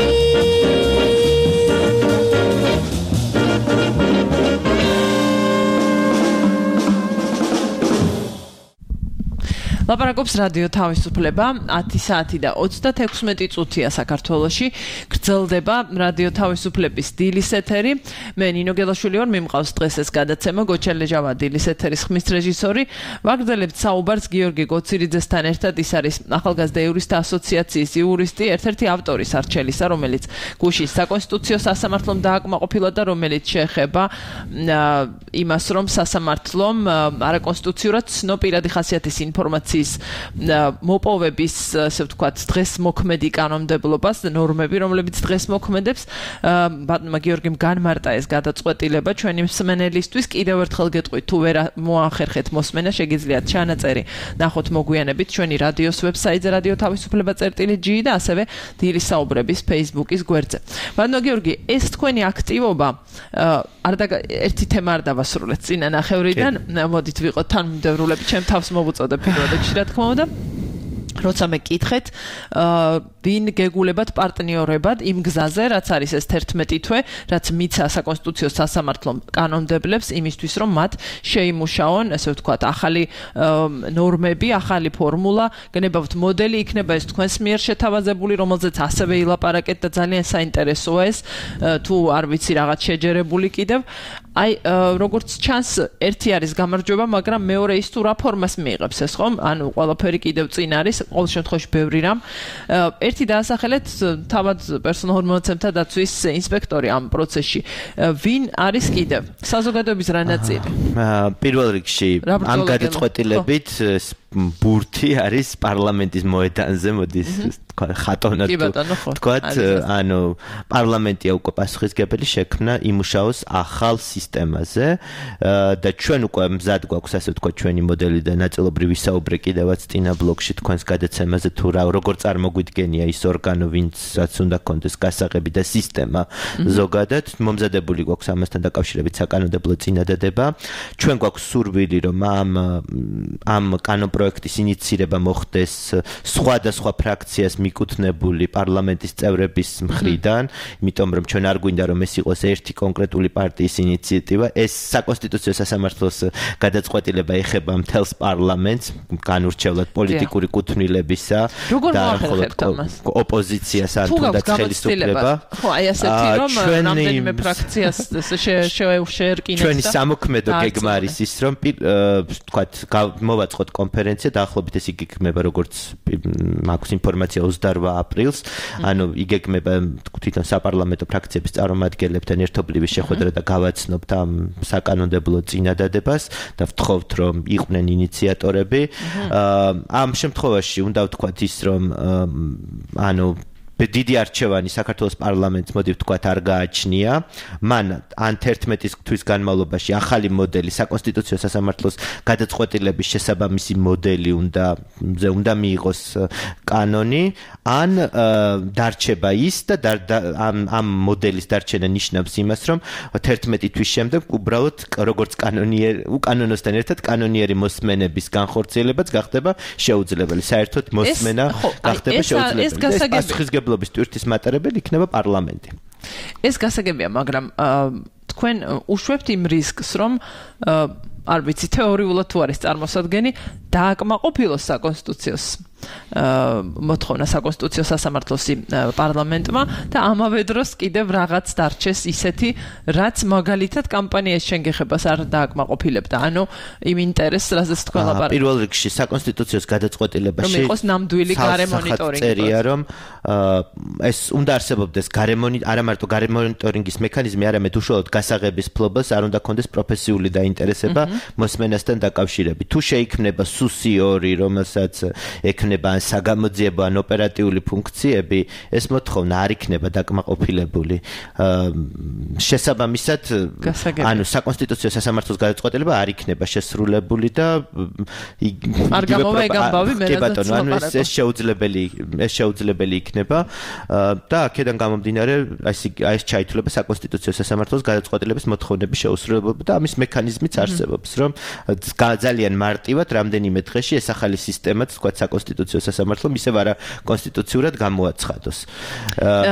ლაპარაკობს რადიო თავისუფლება ათი საათი და ოცდათექვსმეტი წუთია საქართველოში გრძელდება რადიო თავისუფლების დილის ეთერი მე ნინო გელაშვილი ვარ მიმყავს დღეს ეს გადაცემა გოჩელეჟავა დილის ეთერის ხმის რეჟისორი ვაგრძელებთ საუბარს გიორგი გოცირიძესთან ერთად ის არის ახალგაზრდა იურისტთა ასოციაციის იურისტი ერთ-ერთი ავტორი სარჩელისა რომელიც გუშინ საკონსტიტუციო სასამართლომ დააკმაყოფილა და რომელიც შეეხება იმას რომ სასამართლომ არაკონსტიტუციურად ცნოპირადი ხასიათის ინფორმაციის მოპოვების ასე ვთქვათ დღეს მოქმედი კანონმდებლობას ნორმები რომლებიც დღეს მოქმედებს ბატონმა გიორგიმ განმარტა ეს გადაწყვეტილება ჩვენი მსმენელისთვის კიდევ ერთხელ გეტყვით თუ ვერ მოახერხეთ მოსმენა შეგიძლიათ ჩანაწერი ნახოთ მოგვიანებით ჩვენი რადიოს ვებსაიტზე რადიო თავისუფლება წერტილი ჯი და ასევე დილის საუბრების Facebook-ის გვერდზე ბატონო გიორგი ეს თქვენი აქტივობა არ და ერთი თემა არ დავასრულეთ წინა ნახევრიდან მოდით ვიყოთ თანმიმდევრულები ჩემ თავს მოვუწოდე პირველად რა თქმა უნდა როცა მე კითხეთ ვინ გეგულებათ პარტნიორებად იმ გზაზე რაც არის ეს თერთმეტი თვე რაც მიცა საკონსტიტუციო სასამართლომ კანონმდებლებს იმისთვის რომ მათ შეიმუშაონ ასე ვთქვათ ახალი ნორმები ახალი ფორმულა გნებავთ მოდელი იქნება ეს თქვენს მიერ შეთავაზებული რომელზეც ასევე ილაპარაკეთ და ძალიან საინტერესოა ეს თუ არ ვიცი რაღაც შეჯერებული კიდევ აი როგორც ჩანს ერთი არის გამარჯვება მაგრამ მეორე ის თუ რა ფორმას მიიღებს ეს ხომ ანუ ყველაფერი კიდევ წინ არის ყოველ შემთხვევაში ბევრი რამ ერთი დაასახელეთ თავად პერსონალურ მონაცემთა დაცვის ინსპექტორი ამ პროცესში ვინ არის კიდევ საზოგადოების რა ნაწილი პირველ რიგში ამ გადაწყვეტილებით ბურთი არის პარლამენტის მოედანზე მოდის ხატოვნად თქვათ ანუ პარლამენტია უკვე პასუხისმგებელი შექმნა იმუშაოს ახალ სისტემაზე და ჩვენ უკვე მზად გვაქვს ასე ვთქვათ ჩვენი მოდელი და ნაწილობრივ ვისაუბრე კიდევაც წინა ბლოკში თქვენს გადაცემაზე თუ რა როგორ წარმოგვიდგენია ის ორგანო ვინც რაც უნდა კონდეს გასაღები და სისტემა ზოგადად მომზადებული გვაქვს ამასთან დაკავშირებით საკანონმდებლო წინადადება ჩვენ გვაქვს სურვილი რომ ამ ამ კანონ პროექტის ინიცირება მოხდეს სხვადასხვა ფრაქციას მიკუთვნებული პარლამენტის წევრების მხრიდან, იმიტომ რომ ჩვენ არ გვინდა რომ ეს იყოს ერთი კონკრეტული პარტიის ინიციატივა, ეს საკონსტიტუციო სასამართლოს გადაწყვეტილება ეხება მთელს პარლამენტს, განურჩევლად პოლიტიკური კუთვნილებისა და ოპოზიციას არ თუნდაც ხელისუფლება. ხო, აი ასეთი რომ რამდენიმე ფრაქციას შეერკინებს და ჩვენი სამოქმედო გეგმა არის ის რომ ვთქვათ მოვაწყოთ კონფერენცია კონფერენცია დაახლოებით ეს იგეგმება როგორც მაქვს ინფორმაცია ოცდაოთხ აპრილს, ანუ იგეგმება თვითონ საპარლამენტო ფრაქციების წარმომადგენლებთან ერთობლივი შეხვედრა და გავაცნობთ ამ საკანონმდებლო წინადადებას და ვთხოვთ რომ იყვნენ ინიციატორები. ამ შემთხვევაში უნდა ვთქვათ ის რომ ანუ დიდი არჩევანი საქართველოს პარლამენტს მოდი ვთქვათ არ გააჩნია. მან ან თერთმეტი თვის განმავლობაში ახალი მოდელი საკონსტიტუციო სასამართლოს გადაწყვეტილების შესაბამისი მოდელი უნდა უნდა მიიღოს კანონი, ან დარჩება ის და ამ ამ მოდელის დარჩენა ნიშნავს იმას, რომ თერთმეტი თვის შემდეგ უბრალოდ როგორც კანონიერი უკანონოსთან ერთად კანონიერი მოსმენების განხორციელებაც გახდება შეუძლებელი. საერთოდ მოსმენა გახდება შეუძლებელი. ტვირთის მატარებელი იქნება პარლამენტი. ეს გასაგებია, მაგრამ თქვენ უშვებთ იმ რისკს, რომ არ ვიცი თეორიულად თუ არის წარმოსადგენი დააკმაყოფილოს საკონსტიტუციოს მოთხოვნა საკონსტიტუციო სასამართლოსი პარლამენტმა და ამავე დროს კიდევ რაღაც დარჩეს ისეთი, რაც მაგალითად კამპანიის შენგეხებას არ დააკმაყოფილებდა. ანუ იმ ინტერესს, რასაც თქვენ ლაპარაკობთ. პირველ რიგში საკონსტიტუციოს გადაწყვეტილებაში რომ იყოს ნამდვილი გარემონიტორინგი. წერია რომ ეს უნდა არსებობდეს გარემონი არა მარტო გარემონიტორინგის მექანიზმი, არამედ უშუალოდ გასაღების ფლობას არ უნდა კონდეს პროფესიული დაინტერესება მოსმენასთან დაკავშირებით. თუ შეიქმნება სუსიორი, რომელსაც ექნება ან საგამოძიებო ან ოპერატიული ფუნქციები, ეს მოთხოვნა არ იქნება დაკმაყოფილებული. შესაბამისად, ანუ საკონსტიტუციო სასამართლოს გადაწყვეტილება არ იქნება შესრულებული და არ გამოვა ეგ ამბავი მე რაზეც ლაპარაკობ. ეს შეუძლებელი ეს შეუძლებელი იქნება და აქედან გამომდინარე ეს ეს ჩაითვლება საკონსტიტუციო სასამართლოს გადაწყვეტილების მოთხოვნების შეუსრულებლობა და ამის მექანიზმიც არსებობს, რომ ძალიან მარტივად რამდენიმე დღეში ეს ახალი სისტემაც, თქვა საკონსტიტუციო სასამართლომ ისევ არა კონსტიტუციურად გამოაცხადოს.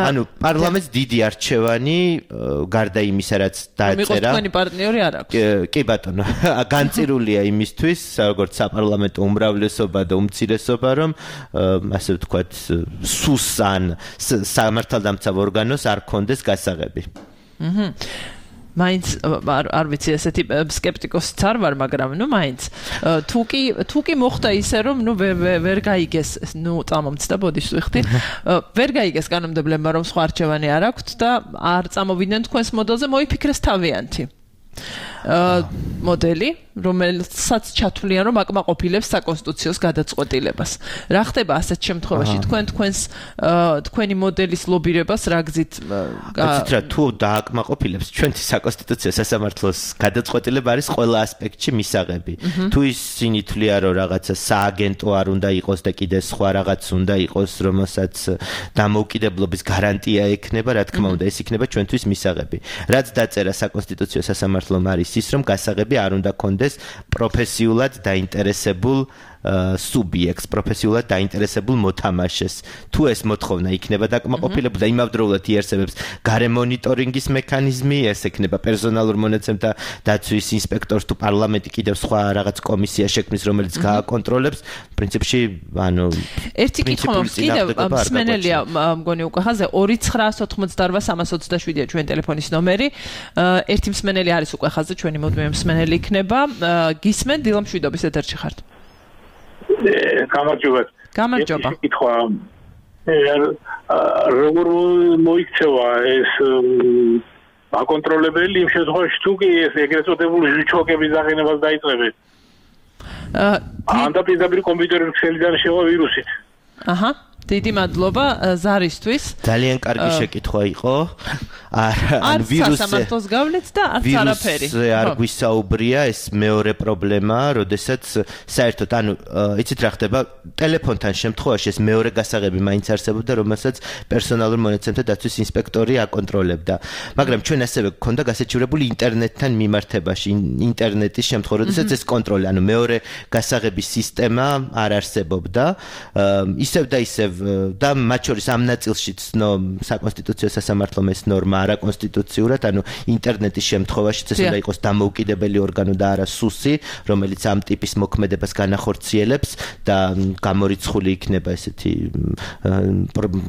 ანუ პარლამენტს დიდი არჩევანი გარდა იმისა, რაც დაეწერა. თქვენი პარტნიორი არ აქვს. კი ბატონო, განწირულია იმისთვის, როგორც საპარლამენტო უმრავლესობა და უმცირესობა, რომ ასე ვთქვათ, სუს ან სამართალდამცავ ორგანოს არ კონდეს გასაღები. აჰა. მაინც არ ვიცი ესეთი სკეპტიკოსიც არ ვარ, მაგრამ ნუ მაინც თუ კი თუ კი მოხდა ისე რომ ნუ ვერ გაიგეს, ნუ წამომცდა ბოდიშს ვიხდი, ვერ გაიგეს კანონმდებლებმა რომ სხვა არჩევანი არ აქვთ და არ წამოვიდნენ თქვენს მოდელზე, მოიფიქრეს თავიანთი მოდელი, რომელსაც ჩათვლიან რომ აკმაყოფილებს საკონსტიტუციოს გადაწყვეტილებას. რა ხდება ასეთ შემთხვევაში? თქვენ თქვენს თქვენი მოდელის ლობირებას რა გზით გაცით რა თუ დააკმაყოფილებს ჩვენი საკონსტიტუციო სასამართლოს გადაწყვეტილება არის ყველა ასპექტში მისაღები. თუ ისინი თვლიან რომ რაღაცა სააგენტო არ უნდა იყოს და კიდე სხვა რაღაც უნდა იყოს, რომელსაც დამოუკიდებლობის გარანტია ექნება, რა თქმა უნდა, ეს იქნება ჩვენთვის მისაღები. რაც დაწერა საკონსტიტუციო სასამართლომ არის ის, რომ გასაღები არ უნდა კონდეს პროფესიულად დაინტერესებულ სუბიექტს, პროფესიულად დაინტერესებულ მოთამაშეს. თუ ეს მოთხოვნა იქნება დაკმაყოფილებული და იმავდროულად იარსებებს გარემონიტორინგის მექანიზმი, ეს ექნება პერსონალურ მონაცემთა დაცვის ინსპექტორს თუ პარლამენტი კიდევ სხვა რაღაც კომისია შექმნის, რომელიც გააკონტროლებს, პრინციპში, ანუ ერთი კითხვა მაქვს კიდევ მსმენელია მგონი უკვე ხაზე ორი ცხრა ოთხმოცდაოთხ სამას ოცდაშვიდია ჩვენი ტელეფონის ნომერი. ერთი მსმენელი არის უკვე ხაზე, ჩვენი მოდმე მსმენელი იქნება. გისმენ დილამშვიდობის ეთერში ხართ. გამარჯობა. გამარჯობა. კითხვა როგორ მოიქცევა ეს აკონტროლებელი იმ შემთხვევაში თუ კი ეს ეგრეთ წოდებული ჟუჩოკების აღენებას დაიწყებენ? ან და პირდაპირ კომპიუტერის ქსელიდან შევა ვირუსით. აჰა. დიდი მადლობა ზარისთვის. ძალიან კარგი შეკითხვა იყო. ან ვირუსზე სასამართლოს გავლით და არც არაფერი. ვირუსზე არ გვისაუბრია, ეს მეორე პრობლემაა, როდესაც საერთოდ ანუ იცით რა ხდება, ტელეფონთან შემთხვევაში ეს მეორე გასაღები მაინც არსებობდა, რომელსაც პერსონალურ მონაცემთა დაცვის ინსპექტორი აკონტროლებდა. მაგრამ ჩვენ ასევე გქონდა გასაჩივრებული ინტერნეტთან მიმართებაში, ინტერნეტის შემთხვევაში, როდესაც ეს კონტროლი, ანუ მეორე გასაღების სისტემა არ არსებობდა. ისევ და ისევ და მათ შორის ამ ნაწილშიც ნო საკონსტიტუციო სასამართლომ ეს ნორმა არაკონსტიტუციურად, ანუ ინტერნეტის შემთხვევაშიც ეს უნდა იყოს დამოუკიდებელი ორგანო და არა სუსი, რომელიც ამ ტიპის მოქმედებას განახორციელებს და გამორიცხული იქნება ესეთი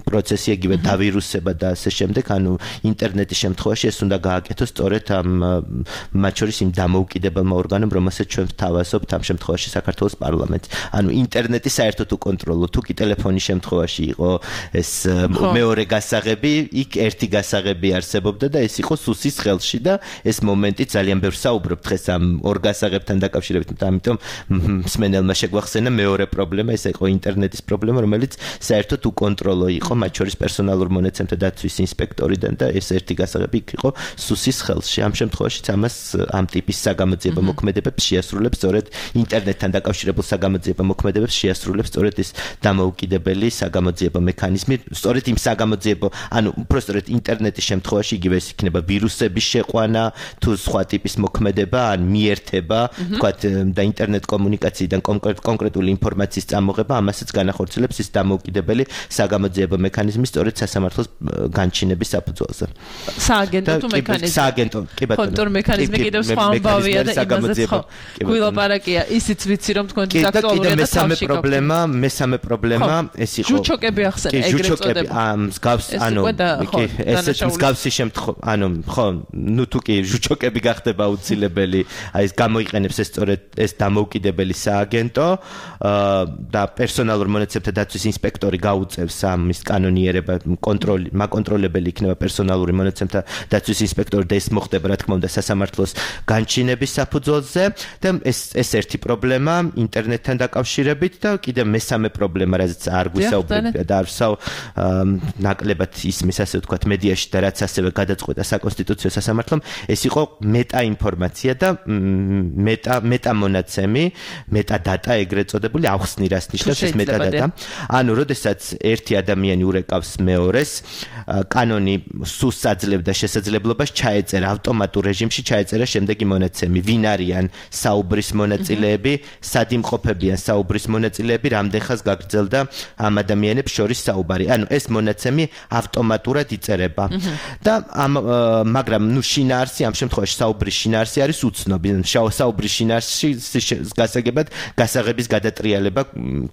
პროცესი, იგივე დავირუსება და ასე შემდეგ, ანუ ინტერნეტის შემთხვევაში ეს უნდა გააკეთოს სწორედ ამ მათ შორის იმ დამოუკიდებელმა ორგანომ, რომელსაც ჩვენ ვთავაზობთ ამ შემთხვევაში საქართველოს პარლამენტს. ანუ ინტერნეტი საერთოდ უკონტროლო, თუ კი ტელეფონის შემთხვევაში იყო ეს მეორე გასაღები, იქ ერთი გასაღები არსებობდა და ეს იყო სუსის ხელში და ეს მომენტი ძალიან ბევრ საუბრობ დღეს ამ ორ გასაღებთან დაკავშირებით. ამიტომ მსმენელმა შეგვახსენა მეორე პრობლემა, ეს იყო ინტერნეტის პრობლემა, რომელიც საერთოდ უკონტროლო იყო, მათ შორის პერსონალურ მონაცემთა დაცვის ინსპექტორიდან და ეს ერთი გასაღები იქ იყო სუსის ხელში. ამ შემთხვევაშიც ამას ამ ტიპის საგამოძიებო მოქმედებებს შეასრულებს სწორედ ინტერნეტთან დაკავშირებულ საგამოძიებო მოქმედებებს შეასრულებს სწორედ ეს დამოუკიდებელი საგამოძიებო მექანიზმი, სწორედ იმ საგამოძიებო, ანუ უბრალოდ ინტერნეტის შემთხვევაში იგივე ეს იქნება ვირუსების შეყვანა, თუ სხვა ტიპის მოქმედება, ან მიერთება, თქვათ და ინტერნეტ კომუნიკაციიდან კონკრეტული ინფორმაციის წამოღება, ამასაც განახორციელებს ის დამოუკიდებელი საგამოძიებო მექანიზმი სწორედ სასამართლოს განჩინების საფუძველზე. სააგენტო თუ მექანიზმი. სააგენტო, კი ბატონო. კონტროლ მექანიზმი კიდევ სხვა ამბავია და იმაზე ხო. გვილაპარაკია, ისიც ვიცი რომ თქვენ აქტუალურია და მესამე პრობლემა, მესამე პრობლემა ეს იყო. ჯუჩოკები ახსენე, ეგრეთ წოდება. ამ მსგავს, ანუ ესეც მსგავსი შემთხვევა, ანუ ხო, ნუ თუ კი ჯუჩოკები გახდება აუცილებელი, აი ეს გამოიყენებს ეს სწორედ ეს დამოუკიდებელი სააგენტო და პერსონალურ მონაცემთა დაცვის ინსპექტორი გაუწევს ამის კანონიერება, კონტროლი, მაკონტროლებელი იქნება პერსონალური მონაცემთა დაცვის ინსპექტორი და ეს მოხდება რა თქმა უნდა სასამართლოს განჩინების საფუძველზე და ეს ეს ერთი პრობლემა ინტერნეტთან დაკავშირებით და კიდევ მესამე პრობლემა, რაც არ გვისაუბრებია და არ ვსაუ ნაკლებად ისმის ასე ვთქვათ მედიაში და რაც ასევე გადაწყვეტა საკონსტიტუციო სასამართლომ, ეს იყო მეტა ინფორმაცია და მეტა მეტა მონაცემი, მეტა დატა ეგრეთ წოდებული, ახსნი რას ნიშნავს ეს მეტა დატა. ანუ როდესაც ერთი ადამიანი ურეკავს მეორეს, კანონი სუსს აძლევდა შესაძლებლობას ჩაეწერა ავტომატურ რეჟიმში ჩაეწერა შემდეგი მონაცემი, ვინ არიან საუბრის მონაწილეები, სად იმყოფებიან საუბრის მონაწილეები, რამდენ ხანს გაგრძელდა ამ ადამიანებს შორის საუბარი. ანუ ეს მონაცემი ავტომატურად იწერება. და ამ მაგრამ ნუ შინაარსი ამ შემთხვევაში საუბრის შინაარსი არის უცნობი. საუბრის შინაარსში გასაგებად გასაღების გადატრიალება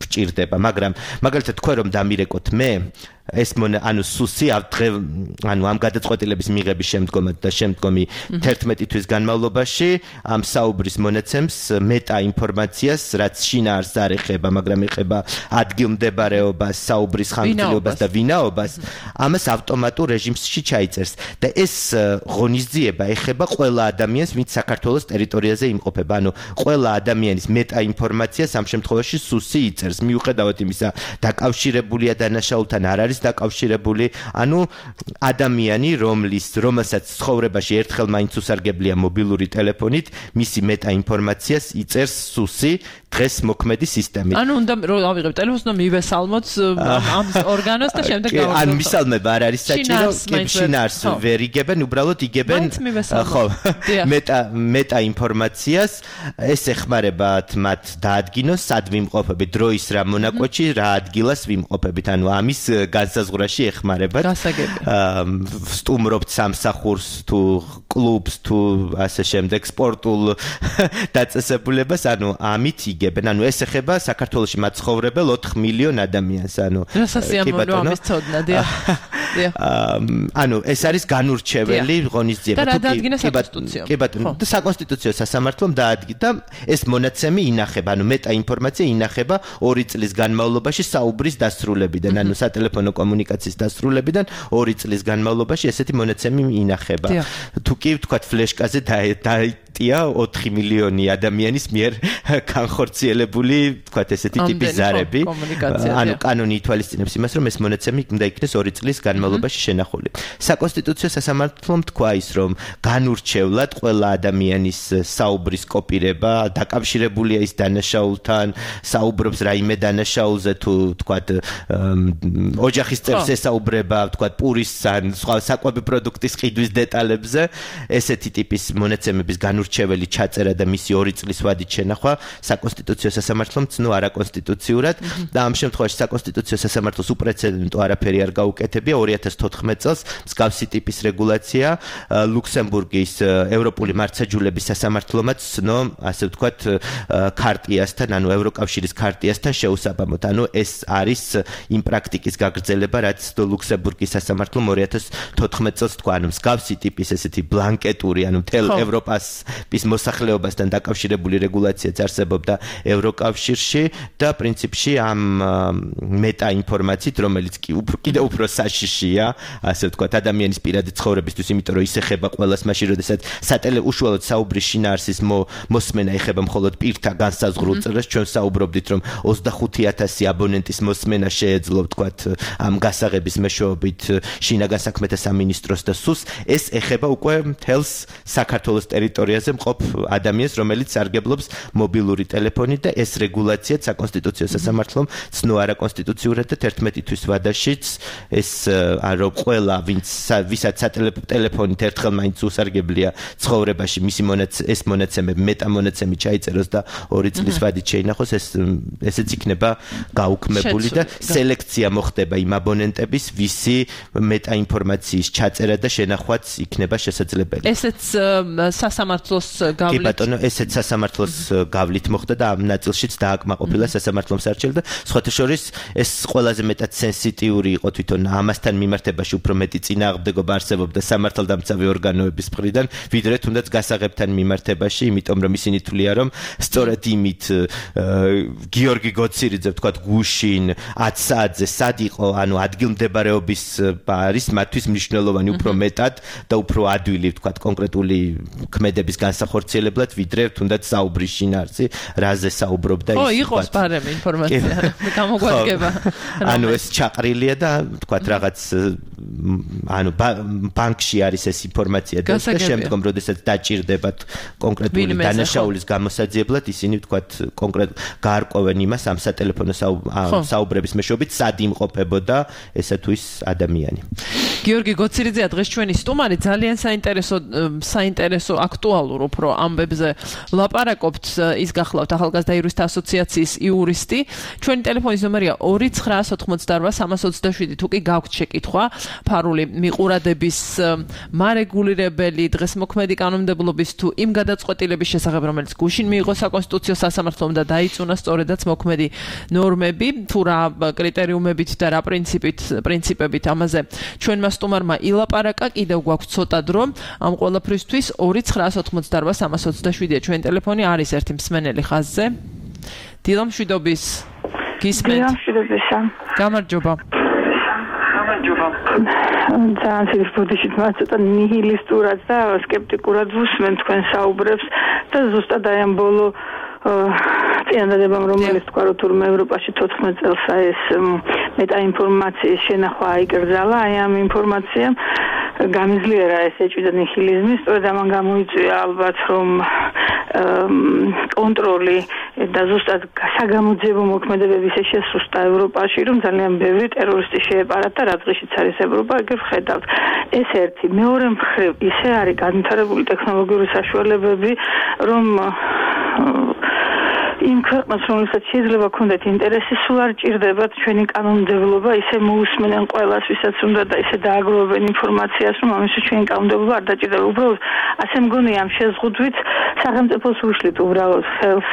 გჭირდება, მაგრამ მაგალითად თქვენ რომ დამირეკოთ მე ეს მონა ანუ სუსი დღე ანუ ამ გადაწყვეტილების მიღების შემდგომად და შემდგომი თერთმეტი თვის განმავლობაში ამ საუბრის მონაცემს მეტა ინფორმაციას რაც შინაარსს არ ეხება, მაგრამ ეხება ადგილმდებარეობას, საუბრის ხანგრძლივობას და ვინაობას, ამას ავტომატურ რეჟიმში ჩაიწერს და ეს ღონისძიება ეხება ყველა ადამიანს, ვინც საქართველოს ტერიტორიაზე იმყოფება. ანუ ყველა ადამიანის მეტა ინფორმაციას ამ შემთხვევაში სუსი იწერს, მიუხედავად იმისა, დაკავშირებულია დანაშაულთან არ არის დაკავშირებული, ანუ ადამიანი, რომლის რომელსაც ცხოვრებაში ერთხელ მაინც უსარგებლია მობილური ტელეფონით, მისი მეტა ინფორმაციას იწერს სუსი დღეს მოქმედი სისტემით. ანუ უნდა რომ ავიღებ ტელეფონს და მივესალმოთ ამ ორგანოს და შემდეგ გავაკეთოთ. ან მისალმება არ არის საჭირო, შინაარსს ვერ იგებენ, უბრალოდ იგებენ ხო, მეტა მეტა ინფორმაციას, ეს ეხმარებათ მათ დაადგინოს, სად ვიმყოფებით, დროის რა მონაკვეთში, რა ადგილას ვიმყოფებით, ანუ ამის განსაზღვრაში ეხმარებათ. სტუმრობთ სამსახურს თუ კლუბს თუ ასე შემდეგ სპორტულ დაწესებულებას, ანუ ამით იგებენ. ანუ ეს ეხება საქართველოში მაცხოვრებელ ოთხ მილიონ ადამიანს, ანუ კი ამის ცოდნა, დიახ. ანუ ეს არის განურჩეველი ღონისძიება. და რა დაადგინა საკონსტიტუციო? კი ბატონო, და საკონსტიტუციო სასამართლომ დაადგინა და ეს მონაცემი ინახება, ანუ მეტა ინფორმაცია ინახება ორი წლის განმავლობაში საუბრის დასრულებიდან, ანუ სატელეფონო კომუნიკაციის დასრულებიდან ორი წლის განმავლობაში ესეთი მონაცემი ინახება. თუ კი ვთქვათ ფლეშკაზე დაიტია ოთხი მილიონი ადამიანის მიერ განხორციელებული, ვთქვათ ესეთი ტიპის ზარები. ანუ კანონი ითვალისწინებს იმას, რომ ეს მონაცემი უნდა იქნეს ორი წლის განმავლობაში შენახული. საკონსტიტუციო სასამართლომ თქვა ის, რომ განურჩევლად ყველა ადამიანის საუბრის კოპირება, დაკავშირებულია ის დანაშაულთან, საუბრობს რაიმე დანაშაულზე თუ ვთქვათ ოჯახის წევრს ესაუბრება, ვთქვათ პურის ან სხვა საკვები პროდუქტის ყიდვის დეტალებზე, ესეთი ტიპის მონაცემების განურჩეველი ჩაწერა და მისი ორი წლის ვადით შენახვა საკონსტიტუციო სასამართლომ ცნო არაკონსტიტუციურად და ამ შემთხვევაში საკონსტიტუციო სასამართლოს უპრეცედენტო არაფერი არ გაუკეთებია, ორი ათას თოთხმეტ წელს მსგავსი ტიპის რეგულაცია ლუქსემბურგის ევროპული მართლმსაჯულების სასამართლომაც ცნო, ასე ვთქვათ, ქარტიასთან, ანუ ევროკავშირის ქარტიასთან შეუსაბამოდ. ანუ ეს არის იმ პრაქტიკის გაგრძელება, რაც ლუქსემბურგის სასამართლომ ორი ათას თოთხმეტ წელს თქვა, ანუ მსგავსი ტიპის ესეთი ბლანკეტური, ანუ მთელ ევროპას ის მოსახლეობასთან დაკავშირებული რეგულაციაც არსებობდა ევროკავშირში და პრინციპში ამ მეტა ინფორმაციით, რომელიც კიდევ უფრო საშიშია, ასე ვთქვათ, ადამიანის პირადი ცხოვრებისთვის, იმიტომ რომ ის ეხება ყველას მაშინ, როდესაც სატელე უშუალოდ საუბრის შინაარსის მოსმენა ეხება მხოლოდ პირთა განსაზღვრულ წრეს, ჩვენ საუბრობდით, რომ ოცდახუთი ათასი აბონენტის მოსმენა შეეძლო, ვთქვათ, ამ გასაღების მეშვეობით შინაგან საქმეთა სამინისტროს და სუს, ეს ეხება უკვე მთელს საქართველოს ტერიტორიაზე მყოფ ადამიანს, რომელიც სარგებლობს მობილური ტელეფონით და ეს რეგულაციაც საკონსტიტუციო სასამართლომ ცნო არაკონსტიტუციურად და თერთმეტი თვის ვადაშიც ეს რომ ყველა ვინც ვისაც სატელეფონით ერთხელ მაინც უსარგებლია ცხოვრებაში მისი ეს მონაცემები მეტამონაცემი ჩაიწეროს და ორი წლის ვადით შეინახოს, ეს ესეც იქნება გაუქმებული და სელექცია მოხდება იმ აბონენტების, ვისი მეტაინფორმაციის ჩაწერა და შენახვაც იქნება შესაძლებელი. ესეც სასამართლოს გავლით. კი ბატონო, ესეც სასამართლოს გავლით მოხდა და ამ ნაწილშიც დააკმაყოფილა სასამართლომ სარჩელი და სხვათა შორის ეს ყველაზე მეტად სენსიტიური იყო თვითონ ამასთან მიმართებაში უფრო მეტი წინააღმდეგობა არსებობდა სამართალდამცავი ორგანოების მხრიდან, ვიდრე თუნდაც გასაღებთან მიმართებაში, იმიტომ რომ ისინი თვლიან, რომ სწორედ იმით გიორგი გოცირიძე, ვთქვათ, გუშინ ათ საათზე სად იყო, ანუ ადგილმდებარეობის არის მათთვის მნიშვნელოვანი უფრო მეტად და უფრო ადვილი, ვთქვათ, კონკრეტული ქმედების განსახორციელებლად, ვიდრე თუნდაც საუბრის შინაარსი, რაზე საუბრობდა ის. ო, იყოს პარემ ინფორმაცია, გამოგვადგება. ანუ ეს ჩაყრილია და ვთქვათ, რაღაც ანუ ბანკში არის ეს ინფორმაცია და შემდგომ, როდესაც დაჭირდებათ კონკრეტული დანაშაულის გამოსაძიებლად, ისინი ვთქვათ, კონკრეტ გაარკვევენ იმას ამ სატელეფონო საუბრების მეშვეობით, სად იმყოფებოდა ესა თუ ის ადამიანი. გიორგი გოცირიძეა დღეს ჩვენი სტუმარი, ძალიან საინტერესო საინტერესო აქტუალურ უფრო ამბებზე ლაპარაკობთ. ის გახლავთ ახალგაზრდა იურისტთა ასოციაციის იურისტი. ჩვენი ტელეფონის ნომერია ორი ცხრა ოთხმოცდაოთხ სამას ოცდაშვიდი. თუ კი გაქვთ შეკითხვა ფარული მიყურადების მარეგულირებელი დღეს მოქმედი კანონმდებლობის თუ იმ გადაწყვეტილების შესახებ, რომელიც გუშინ მიიღო საკონსტიტუციო სასამართლომ და დაიწუნა სწორედაც მოქმედი ნორმები, თუ რა კრიტერიუმებით და რა პრინციპით პრინციპებით ამაზე ჩვენმა სტუმარმა ილაპარაკა. კიდევ გვაქვს ცოტა დრო ამ ყველაფრისთვის. ორი ცხრა ოთხმოცდაოთხ სამას ოცდაშვიდია ჩვენი ტელეფონი, არის ერთი მსმენელი ხაზზე. დილამშვიდობის. გისმენთ. დილამშვიდობისა. გამარჯობა. გამარჯობა. ძალიან სიხბუდიშით მას ცოტა ნიჰილისტურად და სკეპტიკურად ვუსმენ თქვენ საუბრებს და ზუსტად აი ამ ბოლო წინადადებამ, რომელიც თქვა, რომ თურმე ევროპაში თოთხმეტ წელსა ეს მეტაინფორმაციის შენახვა აიკრძალა, აი ამ ინფორმაციამ გამიძლიერა ეს ეჭვი და ნიჰილიზმი, სწორედ ამან გამოიწვია ალბათ, რომ კონტროლი და ზუსტად საგამოძიებო მოქმედებები ისე შესუსტა ევროპაში, რომ ძალიან ბევრი ტერორისტი შეეპარა და რა დღეშიც არის ევროპა, ეგრე ვხედავთ. ეს ერთი. მეორე მხრივ ისე არის განვითარებული ტექნოლოგიური საშუალებები, რომ იმ ქვეყნებს, რომელსაც შეიძლება ქონდეთ ინტერესი, სულ არ ჭირდებათ ჩვენი კანონმდებლობა, ისე მოусმენენ ყველას, ვისაც უნდა და ისე დააგროვებენ ინფორმაციას, რომ ამისთვის ჩვენი კანონმდებლობა არ დაჭირდება. უბრალოდ ასე მგონია ამ შეზღუდვით სახელმწიფოს უშლით უბრალოდ ხელს.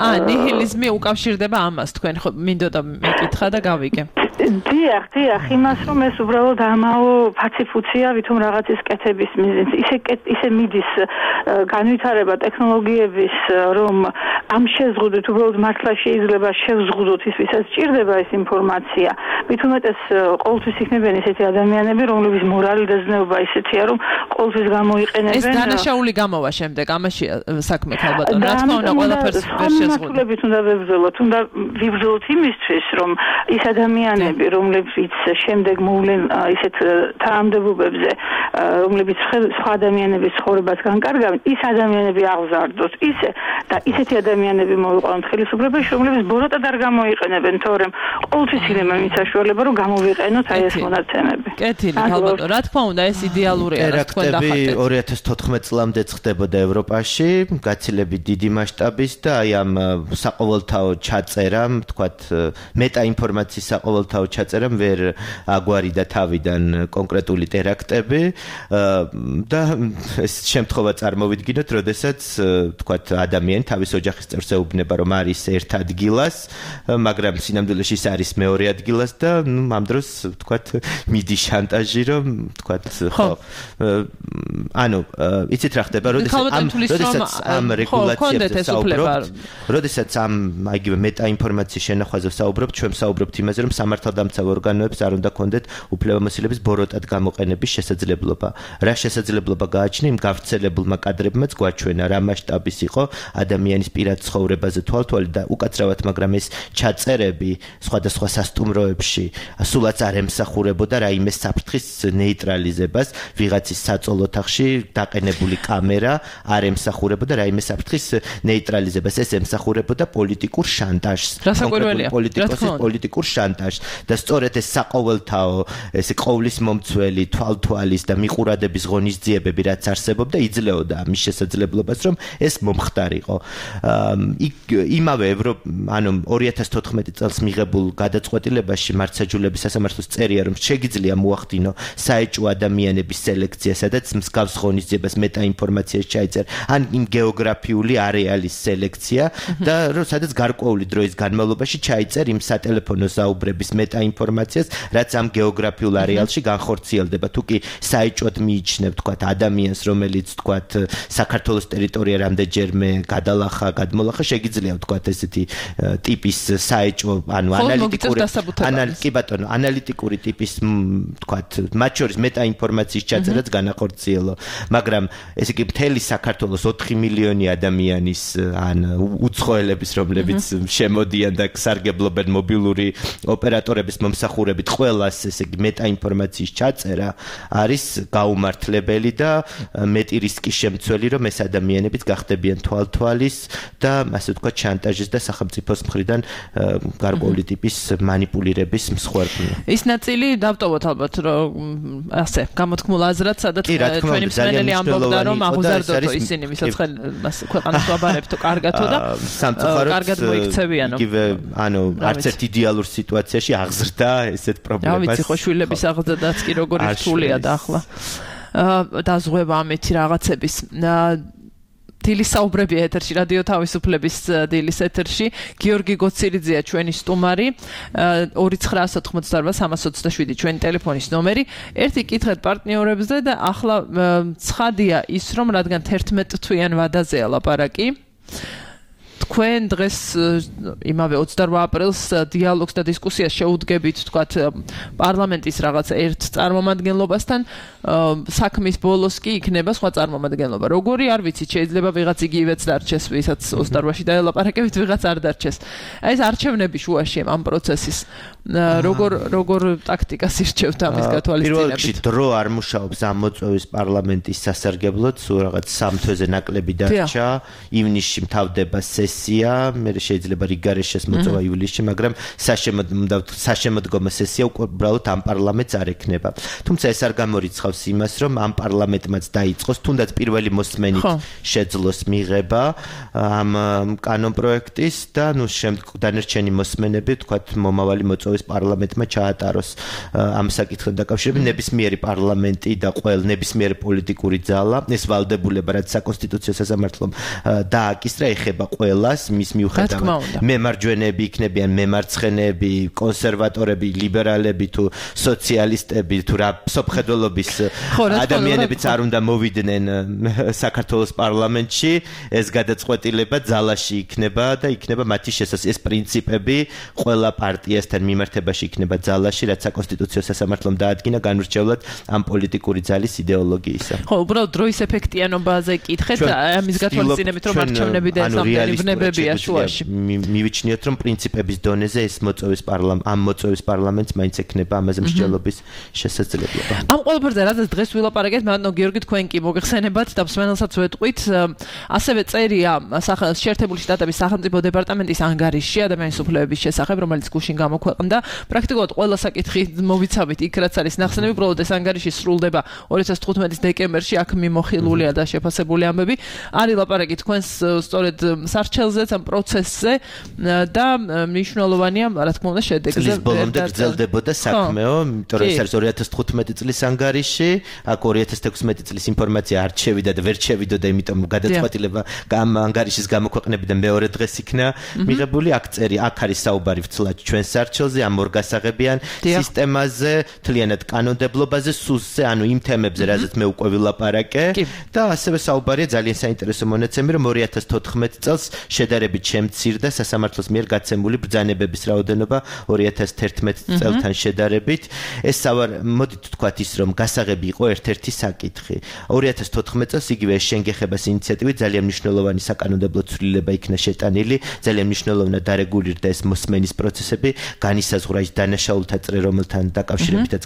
აა, ნიჰილიზმი უკავშირდება ამას, თქვენ ხო მინდოდა მეკითხა და გავიგე. დიახ, დიახ, იმას რომ ეს უბრალოდ ამაო ფაციფუცია, ვითომ რაღაცის კეთების მიზნით. ისე ისე მიდის განვითარება ტექნოლოგიების, რომ ამ შეზღუდვით უბრალოდ მართლა შეიძლება შევზღუდოთ ის, ვისაც ჭირდება ეს ინფორმაცია. მით უმეტეს ყოველთვის იქნებიან ესეთი ადამიანები, რომლების მორალი და ზნეობა ისეთია, რომ ყოველთვის გამოიყენებენ. ეს დანაშაული გამოვა შემდეგ, ამაში საქმე ქალბატონ, რა თქმა უნდა, ყველაფერს ვერ შეზღუდოთ. უნდა ვიბრძოლოთ, უნდა ვიბრძოლოთ იმისთვის, რომ ის ადამიანები, რომლებიც შემდეგ მოვლენ ისეთ თანამდებობებზე, რომლებიც სხვა ადამიანების ცხოვრებას განკარგავენ, ის ადამიანები აღზარდოს. ისე და ისეთი ადამიანები მოვიყვანოთ ხელისუფლებაში, რომლებიც ბოროტად არ გამოიყენებენ, თორემ ყოველთვის იქნება მის საშუალება, რომ გამოვიყენოთ აი ეს მონაცემები. კეთილი, ალბათ, რა თქმა უნდა, ეს идеალურია, რა თქვენ დახატეთ. ორი ათას თოთხმეტ წლამდე ხდებოდა ევროპაში, გაცილებით დიდი მასშტაბის და აი ამ საყოველთაო ჩაწერამ, თქვათ, მეტა ინფორმაციის საყოველთაო ჩაწერამ ვერ აგვარიდა თავიდან კონკრეტული ტერაქტები და ეს შემთხვევა წარმოვიდგინოთ, როდესაც თქვათ ადამიანი თავის ოჯახის წევრს ეუბნება, რომ არის ერთ ადგილას, მაგრამ სინამდვილეში ის არის მეორე ადგილას და ნუ ამ დროს თქვათ მიდი შანტაჟი, რომ თქვათ ხო ანუ იცით რა ხდება, როდესაც ამ როდესაც ამ რეგულაციებზე საუბრობთ, როდესაც ამ აიგივე მეტა ინფორმაციის შენახვაზე საუბრობთ, ჩვენ საუბრობთ იმაზე, რომ სამართალდამცავ ორგანოებს არ უნდა კონდეთ უფლებამოსილების ბოროტად გამოყენების შესაძლებლობა. რა შესაძლებლობა გააჩნია იმ გავრცელებულმა კადრებმაც გვაჩვენა, რა მასშტაბის იყო ადამიანის პირად ცხოვრებაზე თვალთვალი და უკაცრავად, მაგრამ ეს ჩაწერები სხვადასხვა სასტუმროებში სულაც არ ემსახურებოდა რაიმე საფრთხის ნეიტრალიზებას, ვიღაცის საწოლ ოთახში დაყენებული კამერა არ ემსახურებოდა რაიმე საფრთხის ნეიტრალიზებას, ეს ემსახურებოდა პოლიტიკურ შანტაჟს, პოლიტიკოსის პოლიტიკურ შანტაჟს და სწორედ ეს საყოველთაო, ესე ყოვლის მომცველი თვალთვალის და მიყურადების ღონისძიებები რაც არსებობდა, იძლეოდა ამის შესაძლებლობას, რომ ეს მომხდარიყო. იმავე ანუ ორი ათას თოთხმეტი წელს მიღებულ გადაწყვეტილებაში მართლმსაჯულების სასამართლოს წერია, რომ შეგიძლია მოახდინო საეჭვო ადამიანების სელექცია, სადაც მსგავს ღონისძიებას მეტა ინფორმაციას ჩაიწერა, ან იმ გეოგრაფიული არეალის სელექცია და სადაც გარკვეული დროის განმავლობაში ჩაიწერ იმ სატელეფონო საუბრების მეტა ინფორმაციას, რაც ამ გეოგრაფიულ არეალში განხორციელდება. თუ კი საეჭვოდ მიიჩნევ, თქვათ, ადამიანს, რომელიც თქვათ საქართველოს ტერიტორია რამდენჯერმე გადალახა, გადმოლახა, შეგიძლია თქვათ ესეთი ტიპის საეჭვო, ანუ ანალიტიკური კი ბატონო, ანალიტიკური ტიპის თქვათ, მათ შორის მეტა ინფორმაციის ჩაწერაც განახორციელო, მაგრამ ესე იგი მთელი საქართველოს ოთხი მილიონი ადამიანის ან უცხოელების, რომლებიც შემოდიან და სარგებლობენ მობილური ოპერატორების მომსახურებით, ყველას ესე იგი მეტა ინფორმაციის ჩაწერა არის გაუმართლებელი და მეტი რისკის შემცველი, რომ ეს ადამიანებიც გახდებიან თვალთვალის და ასე ვთქვათ შანტაჟის და სახელმწიფოს მხრიდან გარკვეული ტიპის манипуლირების მსხვერპლია. ის ნაწილი დავტოვოთ ალბათ, რომ ასე გამოთქმულ აზრად, სადაც ჩვენი მსმენელი ამბობდა, რომ აღუზარდოთო ისინი, ვისაც ქვეყანას ვაბარებთო კარგათო და კარგად მოიქცევიანო. იგივე, ანუ არც ერთ იდეალურ სიტუაციაში აღზრდა ესეთ პრობლემას. რა ვიცი, ხო შვილების აღზრდაც კი როგორი რთულია და ახლა დაზღვევა ამეთი რაღაცების. დილის საუბრებია ეთერში, რადიო თავისუფლების დილის ეთერში. გიორგი გოცირიძეა ჩვენი სტუმარი, ორი ცხრაას ოთხმოცდაარბა სამას ოცდაშვიდი ჩვენი ტელეფონის ნომერი. ერთი კითხეთ პარტნიორებზე და ახლა ცხადია ის, რომ რადგან თერთმეტ თვიან ვადაზეა ლაპარაკი, თქვენ დღეს იმავე ოცდაორ აპრილს დიალოგს და დისკუსიას შეუდგებით, თქვათ, პარლამენტის რაღაც ერთ წარმომადგენლობასთან, საქმის ბოლოს კი იქნება სხვა წარმომადგენლობა. როგორი არ ვიცით, შეიძლება ვიღაც იგივეც დარჩეს, ვისაც ოცდაორში დაელაპარაკებით, ვიღაც არ დარჩეს. აი ეს არჩევნები შუაში ამ პროცესის როგორ როგორ ტაქტიკას ირჩევთ ამის გათვალისწინებით? პირველში დრო არ მუშაობს ამ მოწვევის პარლამენტის სასარგებლოდ, სულ რაღაც სამ თვეზე ნაკლები დარჩა, ივნისში მთავრდება სესია, მე შეიძლება რიგარეშეს მოწვევა ივლისში, მაგრამ საშემოდგომო სესია უბრალოდ ამ პარლამენტს არ ექნება. თუმცა ეს არ გამორიცხავს იმას, რომ ამ პარლამენტმაც დაიწყოს, თუნდაც პირველი მოსმენით შეძლოს მიღება ამ კანონპროექტის და ნუ შემდეგ დანარჩენი მოსმენები, თქვათ, მომავალი მოწვევის პარლამენტმა ჩაატაროს ამ საკითხთან დაკავშირებით. ნებისმიერი პარლამენტი და ყოველ ნებისმიერი პოლიტიკური ძალა, ეს ვალდებულება, რაც საკონსტიტუციო სასამართლომ დააკისრა, ეხება ყველას, მის მიუხედავად მემარჯვენეები იქნებიან, მემარცხენეები, კონსერვატორები, ლიბერალები თუ სოციალისტები თუ რა სოფხედველობის ადამიანებიც არ უნდა მოვიდნენ საქართველოს პარლამენტში, ეს გადაწყვეტილება ძალაში იქნება და იქნება მათი შესაძლებელი ეს პრინციპები ყველა პარტიასთან მიმართებაში იქნება ძალაში, რაც საკონსტიტუციო სასამართლომ დაადგინა განურჩევლად ამ პოლიტიკური ძალის იდეოლოგიისა. ხო, უბრალოდ დროის ეფექტიანობაზე კითხეთ, ამის გათვალისწინებით, რომ არჩევნები და სამდენი ცნებებია შუაში. მივიჩნიოთ რომ პრინციპების დონეზე ეს მოწვევის პარლამენტ ამ მოწვევის პარლამენტს მაინც ექნება ამაზე მსჯელობის შესაძლებლობა. ამ ყველაფერზე რადგან დღეს ვილაპარაკეთ, მადლობა გიორგი, თქვენ კი მოგეხსენებათ და მსმენელსაც ვეტყვით. ასევე წერია შეერთებული შტატების სახელმწიფო დეპარტამენტის ანგარიშში ადამიანის უფლებების შესახებ, რომელიც გუშინ გამოქვეყნდა. პრაქტიკულად ყველა საკითხი მოვიცავით იქ რაც არის ნახსენები, უბრალოდ ეს ანგარიში სრულდება ორი ათას თხუთმეტის დეკემბერში, აქ მიმოხილულია და შეფასებული ამბები. არის ლაპარაკი თქვენს სწორედ სარჩელზეც ამ პროცესზე და მნიშვნელოვანია, რა თქმა უნდა, შედეგზე. წლის ბოლომდე გრძელდებოდა საქმეო, იმიტომ რომ ეს არის ორი ათას თხუთმეტი წლის ანგარიში, აქ ორი ათას თექვსმეტი წლის ინფორმაცია არ შევიდა და ვერ შევიდა და იმიტომ გადაწყვეტილება ამ ანგარიშის გამოქვეყნებიდან მეორე დღეს იქნა მიღებული. აქ წერი, აქ არის საუბარი ვცლად ჩვენ სარჩელზე, ამ ორ გასაღებიან სისტემაზე, თლიანად კანონმდებლობაზე, სუსზე, ანუ იმ თემებზე, რაზეც მე უკვე ვილაპარაკე და ასევე საუბარია ძალიან საინტერესო მონაცემი, რომ ორი ათას თოთხმეტი წელს შედარებით შემცირდა სასამართლოს მიერ გაცემული ბრძანებების რაოდენობა ორი ათას თერთმეტი წელთან შედარებით. ეს მოდით ვთქვათ ის, რომ გასაღები იყო ერთ-ერთი საკითხი. ორი ათას თოთხმეტი წელს იგივე შენგეხებას ინიციატივით ძალიან მნიშვნელოვანი საკანონმდებლო ცვლილება იქნა შეტანილი, ძალიან მნიშვნელოვნად დარეგულირდა ეს მოსმენის პროცესები, განისაზღვრა ის დანაშაულთა წრე, რომელთან დაკავშირებითაც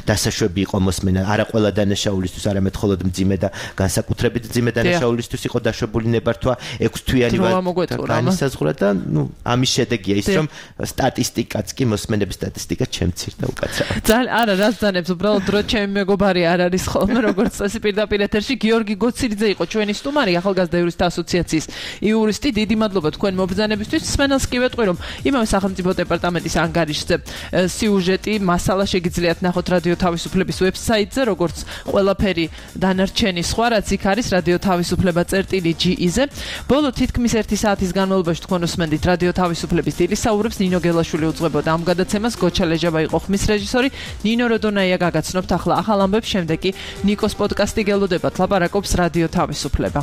დასაშვები იყო მოსმენა, არა ყველა დანაშაულისთვის, არამედ მხოლოდ მძიმე და განსაკუთრებით მძიმე დანაშაულისთვის იყო დაშვებული ნებართვა ექვსთვიანი განისაზღვრა და ნუ ამის შედეგია ის, რომ სტატისტიკაც კი მოსმენების სტატისტიკა შემცირდა უკაცრავად. ძალიან არა, რაც დანებს უბრალოდ დრო ჩემი მეგობარი არ არის ხოლმე როგორც წესი პირდაპირ ეთერში. გიორგი გოცილიძე იყო ჩვენი სტუმარი, ახალგაზრდა იურისტთა ასოციაციის იურისტი. დიდი მადლობა თქვენ მობრძანებისთვის. მსმენელს კი ვეტყვი, რომ იმავე სახელმწიფო დეპარტამენტის ანგარიშზე სიუჟეტი, მასალა შეგიძლიათ ნახოთ რადიო თავისუფლების ვებსაიტზე, როგორც ყველაფერი დანარჩენი სხვა, რაც იქ არის რადიო თავისუფლება წერტილი ჯი-ზე. ბოლო თითქმის ერთი საათის განმავლობაში თქვენ უსმენდით რადიო თავისუფლების დილისაურებს. ნინო გელაშვილი უძღვებოდა ამ გადაცემას, გოჩა ლეჟაბა იყო ხმის რეჟისორი, ნინო როდონაია გაგაცნობთ ახლა ახალ ამბებს, შემდეგ კი ნიკოს პოდკასტი გელოდებათ, ლაპარაკობს რადიო თავისუფლება.